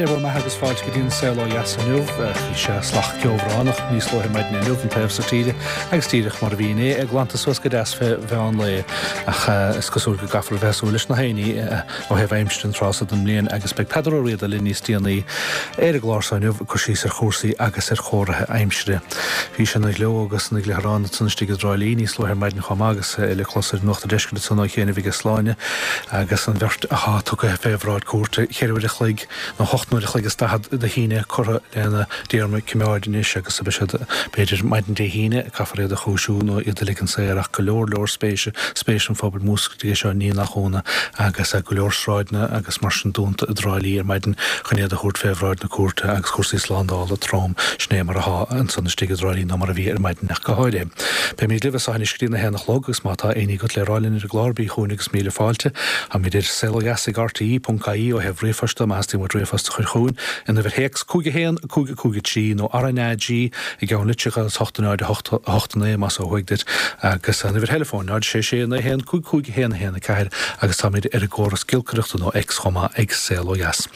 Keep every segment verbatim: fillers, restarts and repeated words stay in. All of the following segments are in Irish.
Dé bhur mbeatha agus fáilte go dtí an Saol Ó Dheas inniu. Bhí sé salach ceobhránach níos luaithe maidin inniu an taobh so tíre agus díreach mar a bhí inné é glanta suas go deas fé mheán lae ach is cosúil go gcaithfear a bheith ag súil leis na haonaí ó thaobh aimsire an tráth so den mbliain agus beidh Peadar Ó Riada linn níos déanaí ar an gclár so inniu ag cur síos ar chúrsaí agus ar chomharthaí aimsire. Bhí sé ina ghleo agus ina ghliotharán ansan istigh i dTrá Lí níos luaithe ar maidin chomh maith agus é le clos ar Nuacht an Deiscirt ansan ó chianaibh aige Sláine agus an bheirt atá tugtha fé bhráid cúirte cheithre uair a chloig nó hocht n-uair a chloig is daichead Dé hAoine curtha lena dtéarma coimeáid anois agus beidh siad b'fhéidir maidin Dé hAoine caithfear iad a chúisiú nó iad a ligean saor ach go leor leor spéise, spéis an phobail múscailte aige seo ní nach ionadh agus go leor sráideanna agus mar sin dúnta i dTrá Lí ar maidin chun iad a thabhairt fé bhráid na cúirte agus cúrsaí slándála trom sin é mar atá ansan istigh i dTrá Lí nó mar a bhí ar maidin ach go háirithe. Beimid libh as seo anois go dtí na haon a chlog agus má tá aon ní agat le rá linn ar an gclár bí chugainn agus míle fáilte. Táimid ar saolodheas ag rte ponc ie ó thaobh ríomhphoist de má theastaíonn uait ríomhphost a chur chugainn an uimhir théacs cúig a haon cúig cúig a trí nó RnaG i gceann litreacha agus hocht náid a hocht a hocht a naoi más ó thuaidh duit agus an uimhir theileafóin náid sé sé naoi haon cúig cúig a haon a haon a ceathair agus táimid ar an gcóras giolcaireachta nó X chomh maith ag Saol Ó Dheas.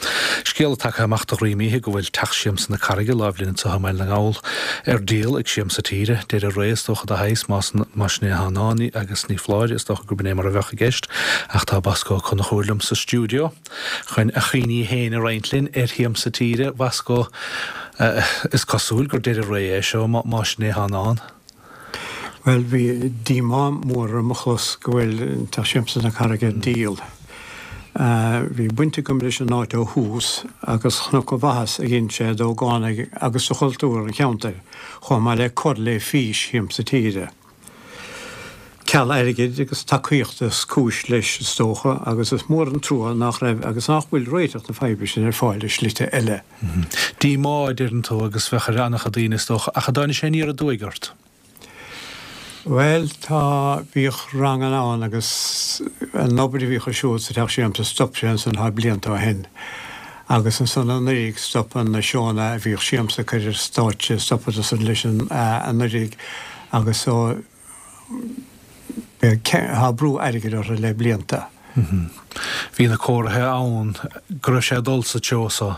Scéala tagtha amach de dhroim oíche go bhfuil Teach Siamsa na Carraige láimh linn anseo i mBaile na nGall ar díol ag Siamsa Tíre. Deireadh ré is dócha de shaghas más más sin é atá i ndán agus ní foláir is dócha gurb in é mar a bheadh i gceist ach tá Bosco Ó Conchúir liom sa stiúideo chun a chuimhní féin a roinnt linn ar Shiamsa Tíre. Bosco, is cosúil gur deireadh ré é seo más sin é atá i ndán. Bhuel, bhí díomá mór orm a chlos go bhfuil Teach Siamsa na Carraige ar díol. Bhí baint agam leis an áit ó thús agus chonac an mhaitheas a dhein sé d'ógánaigh agus do chultúr an cheantair, chomh maith le cur le fís Shiamsa Tíre. Ceal airgid agus tacaíochta is cúis leis, is dócha, agus is mór an trua nach raibh agus nach bhfuil réiteach na faidhbe sin ar fáil i slite eile. Díomá, a deireann tú, agus bheadh ar an-chuid daoine, is dócha, ach an dtáinig sé aniar aduaidh ort? Bhuel, tá, bhíodh ranganna ann agus an obair a bhíodh ar siúl sa Teach Siamsa, stop sé ansan tá blianta ó shin. Agus ansan anuraidh stop na seónna a bhíodh Siamsa ag cur ar stáitse, stopadar san leis anuraidh agus so tá brú airgid orthu le blianta. Bhí na comharthaí ann go raibh sé ag dul sa treo so.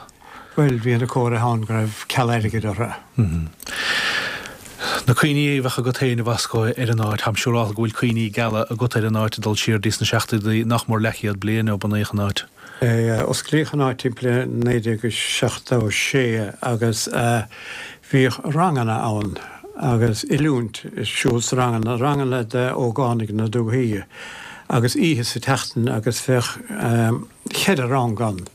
Bhuel, bhí na comharthaí ann go raibh ceal airgid orthu. Na cuimhní a bheadh agat féin, a Bhosco, ar an áit, táim siúrálta go bhfuil cuimhní geala agat ar an áit ag dul siar dtí sna seachtóidí, nach mór leathchéad bliain ó bunaíodh an áit. Osclaíodh an áit timpeall naoi déag seachtó sé agus bhíodh ranganna ann agus oiliúint ar siúl sna ranganna, ranganna d'ógánaigh na dúthaí agus oíche sa tseachtain agus bheadh ceithre rang ann.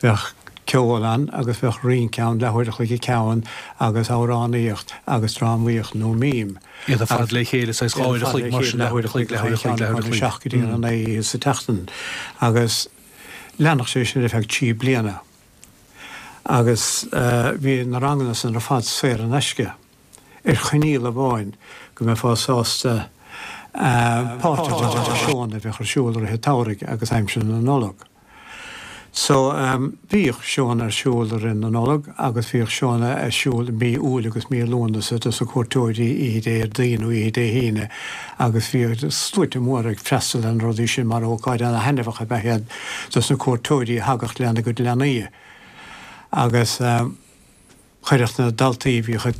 Bheadh ceol ann agus bheadh rince ann, leathuair a chloig an ceann agus amhránaíocht agus drámaíocht nó mím. Iad ar fad le chéile, saghas dhá uair a chloig mar sin, leathuair a chloig, leathuair a chloig, leathuair a chloig. Seacht go dtí a naoi oíche sa tseachtain agus leanadh sé sin ar feadh trí bliana. Agus bhí na ranganna san ar fad saor in aisce, ar choinníoll amháin, go mbeifeá sásta páirt a ghlacadh sna seónna a bheadh ar siúl i rith an tsamhraidh agus aimsir na Nollag. So, bhíodh seónna ar siúl i rith na Nollag agus bhíodh seónna ar siúl i mí Iúil agus mí Lúnasa dos na cuairteoirí oíche Déardaoin nó oíche Dé hAoine agus bhíodh sluaite móra ag freastal ar na rudaí sin mar ócáid ana-thaitneamhach ab ea iad dos na cuairteoirí a thagadh lena gcuid leanaí agus chuireadh na daltaí a bhíodh ag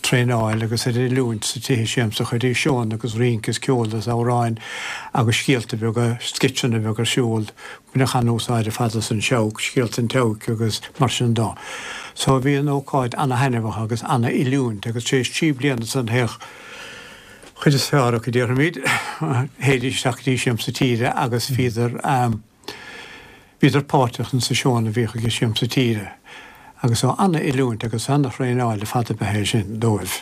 traenáil agus ar oiliúint sa tithe siamsa, chuiridís seónna agus rince is ceol is amhráin agus scéalta beaga, sceitseanna beaga ar siúl. Baineadh an-úsáid ar fad as an seabhac, scéalta an tseabhaic agus mar sin de. So bhí an ócáid ana-thaitneamhach agus ana-oiliúint agus tar éis trí bliana ansan théadh chuid is fearr acu, déarfaimid, théidís isteach go dtí Siamsa Tíre agus bhíodar, bhíodar páirteach insa seónna a bhíodh ag Siamsa Tíre agus so ana-oiliúint agus ana-thraenáil ar fad ab ea é sin dóibh.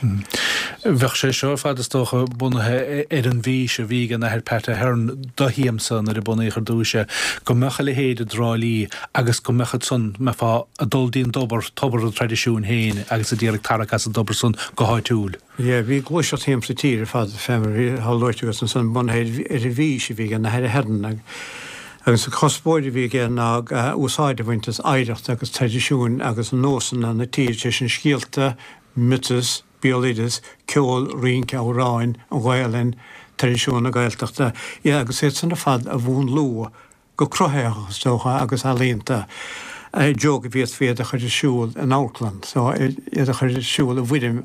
Bheadh sé seo ar fad is dócha bunaithe ar an bhfís a bhí ag an Athair Pat Ahern do Shiamsa nuair a bunaíodh ar dtús é, go mbeadh a leithéid i dTrá Lí agus go mbeadh ansan, mbeifeá ag dul dtí'n dtobar, tobar an traidisiúin féin agus ag iarraidh tarrac as an dtobar san go háitiúil. Yeah, bhí gluaiseacht Shiamsa Tíre ar fad, fé mar atá luaite agat ansan, bunaithe ar an bhfís a bhí ag an Athair Ahern agus an cuspóir a bhí aige ná úsáid a bhaint as oidhreacht agus traidisiúin agus nósanna na tíre, sé sin scéalta, miotas, béaloideas, ceol, rince, amhráin, an Ghaelainn, traidisiún na Gaeltachta, yeah, agus iad san ar fad a mhúnlú go cruthaitheach is dócha agus ealaíonta I dtreo go bhféadfaí iad a chur ar siúl in amharclann, so iad a chur ar siúl i bhfoirm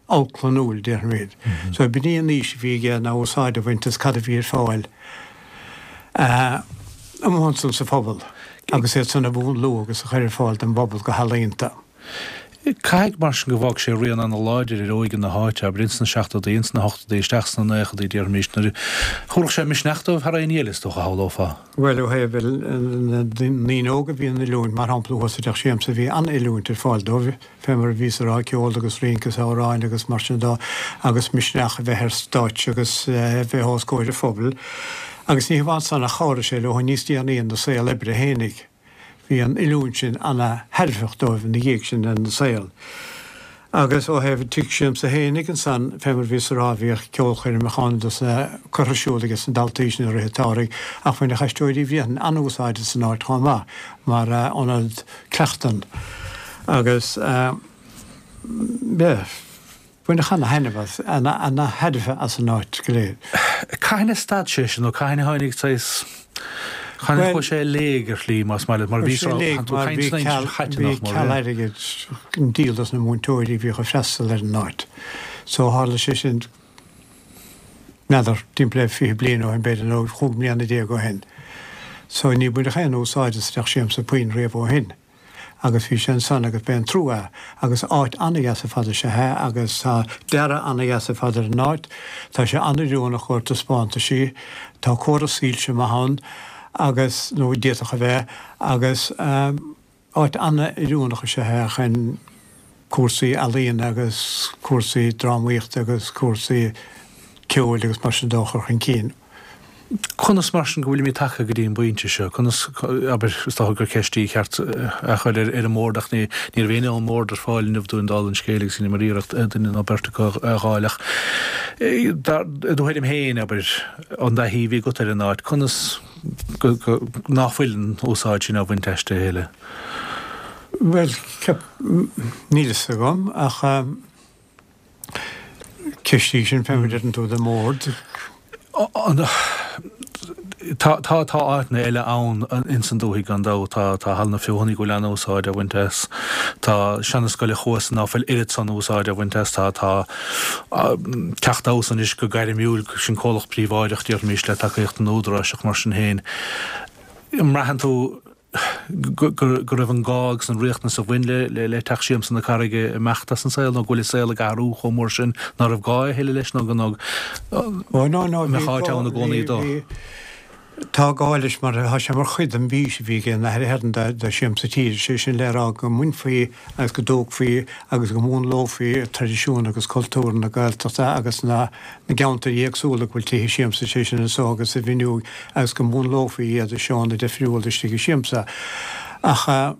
amharclannúil, déarfaimid. So b'in í an fhís a bhí aige ná úsáid a bhaint as cad a bhí ar fáil amuigh ansan sa phobal agus iad san a mhúnlú agus a chur ar fáil don bpobal go healaíonta. Caithfidh mar sin go bhfág sé rian ana-láidir ar óige na háite, abair, ins na seachtóidí, ins na hochtóidí, isteach sna naochadaí, déarfaimis, nuair a thabharfadh sé misneach dóibh thar aon ní eile, is dócha, shamhlófá. Bhuel, ó thaobh na ndaoine óga a bhí in oiliúint, mar shampla, thuas i dTeach Siamsa, bhí an-oiliúint ar fáil dóibh, fé mar a bhíos a rá, ceol agus rince is amhráin agus mar sin de, agus misneach a bheith ar stáitse agus a bheith os comhair an phobail. Agus ní hamháin san ach chabhraigh sé leo níos déanaí ina saol oibre fhéinig. Bhí an oiliúint sin ana-thairbheach dóibh ina dhiaidh sin ina saol. Agus ó thaobh an Tigh Siamsa fhéinig ansan, fé mar a bhíos a rá, bhíodh ceolchoirmeacha ann dos na, curtha ar siúl aige na daltaí sin i rith an tsamhraidh, ach bhaineadh Aisteoirí Bhréanainn an-úsáid as an áit chomh maith mar ionad cleachtan. Agus, yeah. Baineadh ana-thaitneamh as, ana-thairbhe as an áit go léir. Cathain a stad sé sin nó cathain a tháinig saghas, cathain a chuaigh sé i léig ar shlí, más maith leat, mar bhí sé, tánn tú ag caint sna aimsir chaite nach mór, Bhí ceal airgid chun díol dos na múinteoirí a bhíodh ag freastal ar an áit. So tharla sé sin, n'fheadar, timpeall le fiche bliain ó shin b'fhéidir nó chúig mbliana déag ó shin. So ní baineadh aon úsáid as Teach Siamsa puinn riamh ó shin. Agus bhí sé ansan agus b'é an trua é. Agus áit an-dheas ar fad is ea é agus tá dearadh an-dheas ar fad ar an áit. Tá sé an-oiriúnach chomhair taispeántaisí. Tá córas soilse maith ann agus, nó d'fhéadfadh a bheith, agus áit an-oiriúnach is ea é chun cúrsaí ealaíona agus cúrsaí drámaíochta agus cúrsaí ceoil agus mar sin de a chur chun cinn. Conas mar sin go bhfuilimid tagtha go dtí an bpointe seo? Conas, abair, is dócha gur ceist í cheart a chur ar an mbord ach ní ní raibh éinne ón mbord ar fáil inniu dúinn dála an scéil agus rinneamar iarracht duine nó beirt acu a fháil ach i do thuairim féin, abair, an dtaithí a bhí agat ar an áit, conas go, go, ná fuil an úsáid sin á bhaint aisti a thuilleadh? Bhuel, ceap, níl fhios agam ach ceist í sin fé mar a deireann tú don mbord. Tá tá tá áiteanna eile ann ins an dúthaigh gan dabht. Tá tá Halla na Feothanaí go bhfuil an-úsáid á bhaint as. Tá seana scoil an Chuasa ná fuil oiread san úsáid á bhaint as. Tá tá Teach Damhsa anois go gairmiúil, sin comhlacht príobháideach déarfaimis le tacaíocht an Údaráis ach mar sin féin, an mbraitheann tú go raibh an gá agus an riachtanas a bhain le Teach Siamsa na Carraige ag imeacht as an saol nó go bhfuil an saol ag athrú chomh mór sin ná raibh gá a thuilleadh leis nó go mbeadh áit ann i gcónaí dó. Tá gá leis mar tá sé mar chuid den bhfís a bhí ag an Athair Ahern do Siamsa Tíre, sé sin le rá go mbainfí agus go dtógfaí agus go múnlófaí traidisiún agus cultúr na Gaeltachta agus na gceantar éagsúla go bhfuil tithe siamsa, sé sin anso agus sa bhFionnúig, agus go múnlófaí iad i seónna difriúla istigh i siamsa. Ach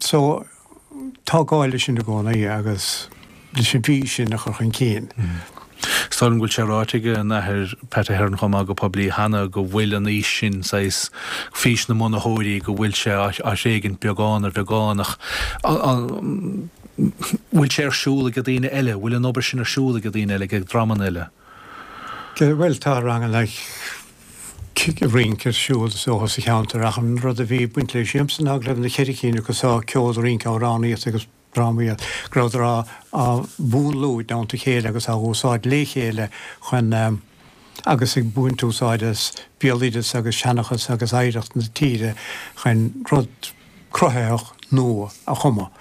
so tá gá leis sin i gcónaí agus leis an bhfís sin a chur chun cinn. Is dóigh liom go bhfuil sé ráite ag an Athair Pat Ahern chomh maith go poiblí cheana go bhfuil an fhís sin, saghas fís na mbunaitheoirí, go bhfuil sé á thréigint beagán ar bheagán ach an bhfuil sé ar siúl ag daoine eile? Bhfuil an obair sin ar siúl ag daoine eile, ag dreamanna eile? Bhuel, tá ranganna rince ar siúl is dócha sa cheantar ach an rud a bhí ag baint le Siamsa ná go raibh na ceithre cinn acu so, ceol, rince, amhránaíocht agus drámaíocht, go rabhadar á mhúnlú i dteannta a chéile agus á úsáid le chéile chun agus ag baint úsáid as béaloideas agus seanchas agus oidhreacht na tíre chun rud cruthaitheach nua a chumadh.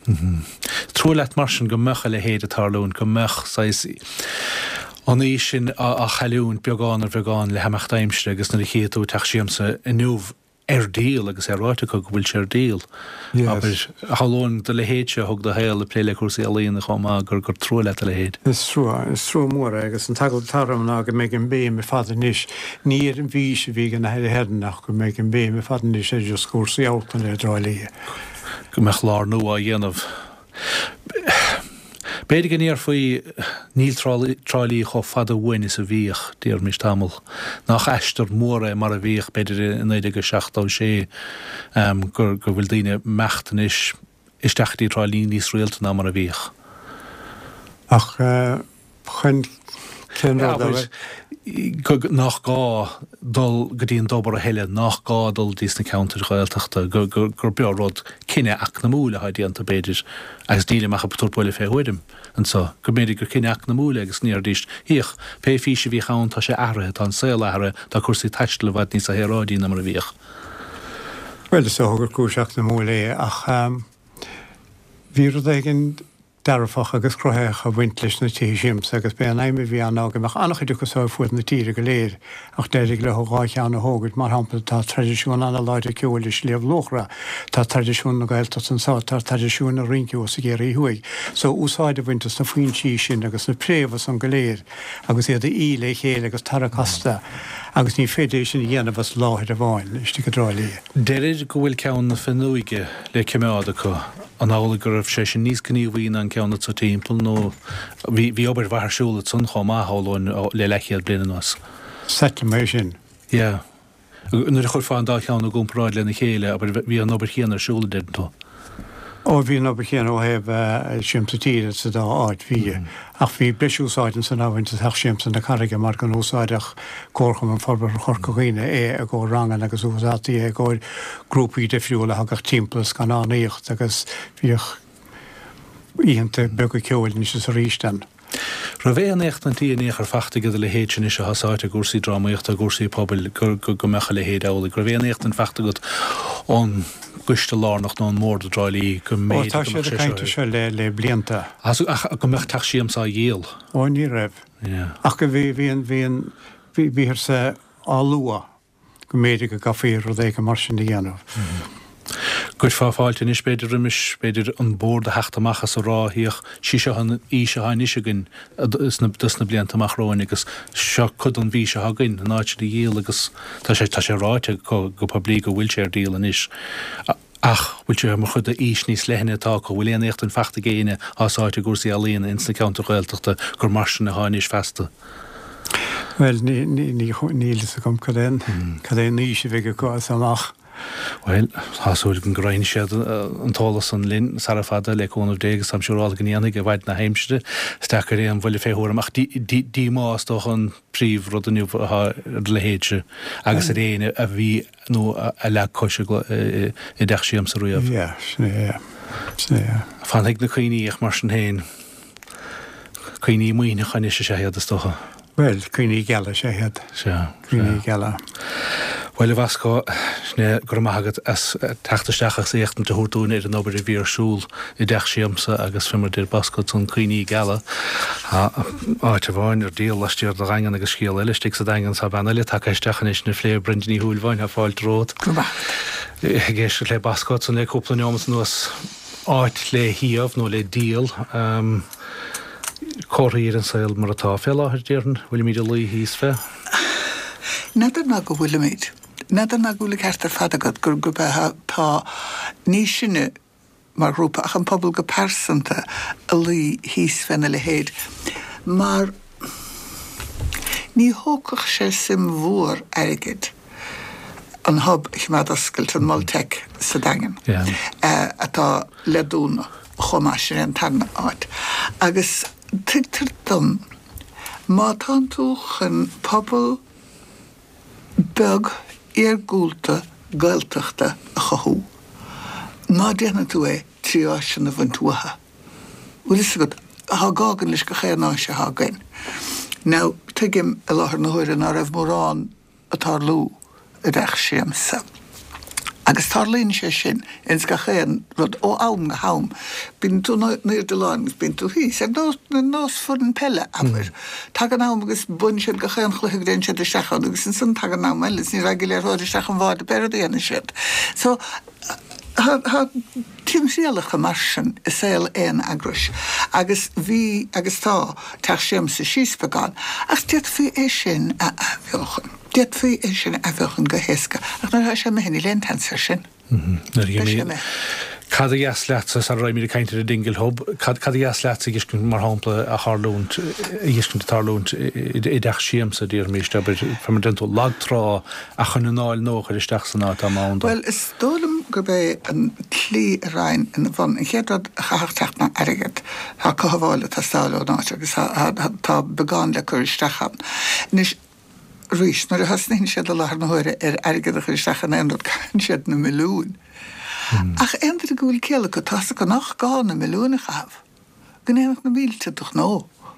Is trua leat mar sin go mbeadh a leithéid ag tarlúint, go mbeadh saghas an fhís sin á chailliúint beagán ar bheagán le himeacht aimsire agus nuair a chífidh tú Teach Siamsa inniu ar díol agus é ráite acu go bhfuil sé ar díol. Abair, shamhlóinn do leithéidse a thug do shaol ag plé le cúrsaí ealaíona chomh maith gur gur trua leat a leithéid. Is trua, is trua mór é agus an t-eagla atá orm ná go mbeidh an bhéim ar fad anois, ní ar an bhfís a bhí ag an Athair Ahern ach go mbeidh an bhéim ar fad anois ar just cúrsaí amharclainne i dTrá Lí. Go mbeadh lár nua á dhéanamh. B'fhéidir go ndéarfaí, níl Trá Lí chomh fada uainn is a bhíodh, déarfaimis tamall. Nach aistear mór é mar a bhíodh, b'fhéidir, i naoi déag a seachtó sé, go bhfuil daoine ag imeacht anois isteach go dtí Trá Lí níos rialta ná mar a bhíodh. Ach chun cén rud a. nach gá dul go dtí an dtobar a thuilleadh, nach gá dul dtí sna ceantair Ghaeltachta, gur beo rud cinneadh eacnamúil atá déanta b'fhéidir, agus nílim ach ag tabhairt buille fé thuairim anso, go mb'fhéidir gur cinneadh eacnamúil é agus ní arís, Féach, pé fís a bhíodh ann tá sé athraithe, tá an saol athraithe, tá cúrsaí taistil i bhfad níos saoráidí ná mar a bhíodh. Bhuel, is dócha gur cúis eacnamúil é ach bhí rud éigin dearfach agus cruthaitheach ag baint leis na tithe siamsa agus b'é an aidhm a bhí ann ná go mbeadh an-chuid acu so ar fuaid na tíre go léir ach d'éirigh leo dhá cheann a thógaint, mar shampla tá traidisiún an-láidir ceoil i Sliabh Luachra, tá traidisiún na Gaeltachta anso, tá traidisiún na rince thuas i gCiarraí Thuaidh. So úsáid a bhaint as na foinsí sin agus na préamha san go léir agus iad a fhí le chéile agus tarrac astu agus ní féidir é sin a dhéanamh as láthair amháin istigh i dTrá Lí. Deirid go bhfuil ceann na Fionnóige le coimeád acu. An amhlaidh go raibh sé sin níos gníomhaí ná an ceann atá timpeall nó bhí bhí obair mhaith ar siúl ansan chomh maith, shamhlóinn, le leathchéad bliain anuas? Seitlim é sin. Yeah. Nuair a chuirfeá an dá cheann i gcomparáid lena chéile, abair, bhí an obair chéanna ar siúl, a deireann tú? Ó, bhí an obair chéanna ó thaobh Siamsa Tíre sa dá áit, bhí. Ach bhí breis úsáid ansan á bhaint as Teach Siamsa na Carraige mar go n-úsáideadh Comharchumann Forbartha Chorca Dhuibhne é i gcomhair ranganna agus úsáidtí é i gcomhair grúpaí difriúla a thagadh timpeall ag scannánaíocht agus bhíodh oícheanta beaga ceoil anois is arís ann. Raibh aon éachtaintí in aon chor fachta agat a leithéid sin anois atá sáite i gcúrsaí drámaíochta, i gcúrsaí pobail, go go mbeadh a leithéid amhlaidh? Go raibh aon éachtaint fachta agat ón gcoiste lárnach nó ón mbord i dTrá Lí go Ó, tá mb'fhéidir go siad mbeadh ag sé caint seo air seo le le blianta. Ach go mbeadh teach siamsa á dhíol? Ó, ní raibh. Yeah. Ach go bhí bhí an bhí an bhí bhíothar sa á lua. go mb'fhéidir go gcaithfí rud éigin mar sin a dhéanamh. Gcuirfeá fáilte anois, b'fhéidir, roimis, b'fhéidir, an Bord a theacht amach is a rá, Féach, sí seo an fhís atá anois againn dos na blianta amach romhainn agus seo cuid den bhfís atá againn, an áit sin a dhíol agus tá sé, tá sé ráite go poiblí go bhfuil sé ar díol anois. Ach bhfuil sé mar chuid d'fhís níos leithne atá acu? Bhfuil aon éachtaint fachta ag éinne atá sáite i gcúrsaí ealaíona ins na ceantair Ghaeltachta gur mar sin atá anois feasta? Bhuel, níl fhios agam cad é an cad é an fhís a bheidh acu as seo amach. Bhuel, tá súil agam go roinnfidh siad an t-eolas san linn sara fada, le cúnamh Dé, agus táim siúrálta go ndéanfaidh i bhfaid na haimsire. Is deacair aon bhuille fé thuairim, ach díomá is dócha an príomhrud inniu atá ar do leithéidse agus ar éinne a bhí nó a leag cos i dteach siamsa riamh. Yeah, sin é, yeah. Sin é, yeah. Fanfaidh na cuimhní ach mar sin féin, cuimhní maoithneacha anois is ea iad, is dócha. Bhuel, cuimhní geala is ea iad. Sea, Cuimhní sea. geala. Bhuel, a Bhosco, sin é, go raibh maith agat as teacht isteach agus éachtaint a thabhairt dúinn ar an obair a bhí ar siúl i dteach siamsa agus fé mar a deir Bosco ansan, cuimhní geala. Tá áit amháin ar díol laistiar de Dhaingean agus scéal eile istigh sa Daingean. Tá bean eile tagtha isteach anois ina phlé, Brenda Ní Shúilleabháin, tá fáilte romhat. Go raibh maith agat. Ag éisteacht le Bosco ansan le cúpla neomat anuas, áit le shuíomh nó le díol. Comharthaí ar an saol mar atá fé láthair, déarfainn. Bhfuilimid ag luí thíos fé? N'fheadar ná go bhfuilimid. N'fheadar ná go bhfuil an ceart ar fad agat gur gurb ea tá ní sinne mar ghrúpa ach an pobal go pearsanta ag luí thíos féna leithéid mar ní thógfadh sé suim mhór airgid an Hub a choimeád oscailte, an Mol Teic sa Daingean, atá le dúnadh chomh maith, sin é an tarna áit. Agus tuigtear dom, má tánn tú chun pobal beag iargúlta Gaeltachta a chothú, ná déanfaidh tú é trí áiseanna a bhaint uathu. Bhfuil fhios agat, tá gá againn leis gach aon áis atá againn. Now, tuigim i láthair na huaire ná raibh mórán ag tarlú i dteach siamsa. Agus tarlaíonn sé sin ins gach aon rud ó am go ham. Bíonn tú in airde lá agus bíonn tú thíos. Ar nós, ar nós foireann peile, abair. Tagann am agus buann siad gach aon chluiche go dtéann siad isteach ann agus ansan tagann am eile agus ní raghaidh an liathróid isteach an bháide pé rud a dhéanann siad. So, tá, tá timthriallacha mar sin i saol aon eagrais agus bhí agus tá Teach Siamsa síos beagán ach d'fhéadfaí é sin a athbheochan. D'fhéadfaí é sin a athbheochan go héasca ach nuair atá sé imithe níl aon tseans air sin. Beidh sé imithe. Cad a dheas leatsa, sara raghaimid ag caint ar an Dingle Hub, cad a dheas leatsa a dh'fheiscint mar shampla a tharlúint, a dh'fheiscint ag tarlúint i dteach siamsa, déarfaimis, abair, fé mar a deireann tú, lag trá ach chun anáil nua a chur isteach san áit dá mba ann dó? Bhuel, is dóigh liom gurb é an tslí a raghainn ina bhun, an chéad rud a chaithfeadh teacht ná airgead. Tá cothabháil ag teastáil ón áit agus tá beagán le cur isteach ann. Anois, Arís, nuair a thosnaíonn siad i láthair na huaire ar airgead a chur isteach in aon rud, caitheann siad na milliúin. Ach aon duine go bhfuil ciall acu, tá's acu nach gá na milliúin a chaitheamh, go ndéanfadh na mílte do ghnó,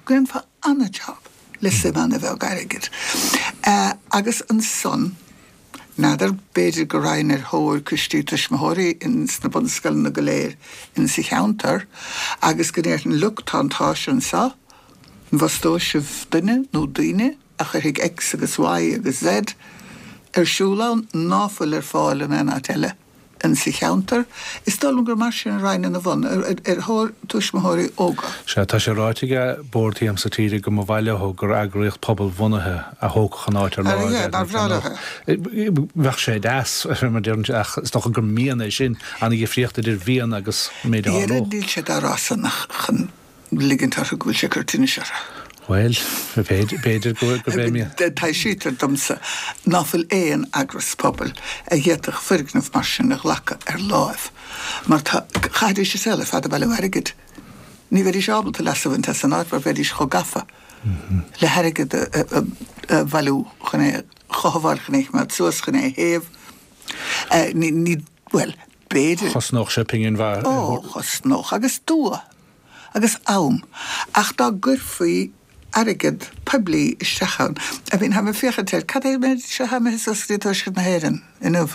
go ndéanfá an-jab le suim an-bheag airgid. Agus ansan, n'fheadar, b'fhéidir go raghainn ar thóir coistí tuismitheoirí ins na bunscoileanna go léir insa cheantar agus go ndéarfainn, look, tá an t-áis anso, an bhfostóidh sibh duine nó daoine a chuirfidh X agus Y agus Z ar siúl ann ná fuil ar fáil in aon áit eile insa cheantar. Is dóigh liom gur mar sin a raghainn ina bhun, ar thóir tuismitheoirí óga. Sea, tá sé ráite ag Bord Shiamsa Tíre go mba mhaith leo gur eagraíocht pobalbhunaithe a thógfadh an áit ar lár. Ar nár bhreá leo é? Bheadh sé deas, mar deireann sé, ach is dócha gur mian é sin, an-dhifríocht idir mhian agus an méid a tharlódh. Níl sé dá rá san ach chun ligint orthu go bhfuil sé ag cur tinnis orthu. Bhuel, b'fhéidir gurb é mian. Taibhsítear domsa ná fuil aon eagras pobail a d'fhéadfadh foirgneamh mar sin a ghlacadh ar láimh, mar tá, chaithfidís a saol ar fad ag bailiú airgid. Ní bheidís ábalta leas a bhaint as an áit mar bheidís chomh gafa le hairgead a bhailiú chun é a chothabháil, chun é a choimeád suas, chun é a théamh. Ní, bhuel, b'fhéidir. Chosnódh sé pingin mhaith. Ó, chosnódh, agus dua. agus am, ach dá gcuirfí airgead poiblí isteach ann, I mean, táim ag féachaint air, cad é an méid seo atá imithe suas go dtí Tuaisceart na hÉireann inniu?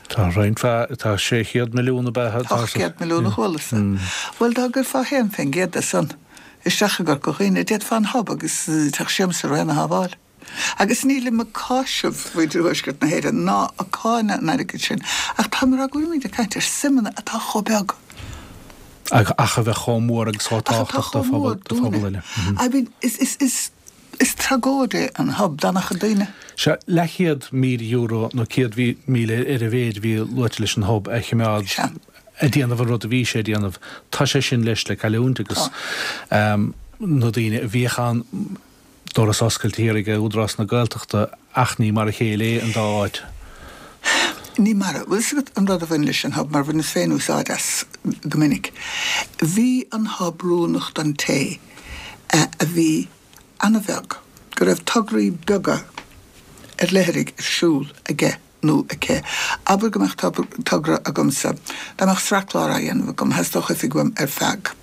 Tá roinnt mhaith, tá sé chéad milliún ab ea? Ocht gcéad milliún a chualas-sa. Bhuel, dá gcuirfeá haon faoin gcéad de san isteach i gCorca Dhuibhne, d'fhéadfá an Hub agus Teach Siamsa araon a shábháil. Agus nílim ag cáiseamh mhuintir Thuaisceart na hÉireann ná ag cáineadh an airgid sin, ach táim ag rá go bhfuilimid ag caint ar suimeanna atá chomh beag. Ach a bheith chomh mór agus chomh tábhachtach do phobal eile. I mean, is, is, is, is tragóid é an Hub d'an-chuid daoine. Sea, leathchéad míle euro nó céad míle ar a mhéid a bhí luaite leis an Hub a choimeád ag déanamh an rud a bhí sé ag déanamh. Tá sé sin leis le cailliúint agus na daoine a bhíodh ann, doras oscailte thiar ag Údarás na Gaeltachta ach ní mar a chéile é an dá áit. Ní mar a. Bhfuil 'fhios agat an rud a bhain leis an Hub, mar bhaineas féin úsáid as go minic. Bhí an Hub oiriúnach don té a bhí an-bheag, go raibh tograí beaga ar leithrigh ar siúl aige nó aici. Abair go mbeadh togra agamsa, dá mbeadh sraith clár á dhéanamh agam, theastódh oifig uaim ar feadh.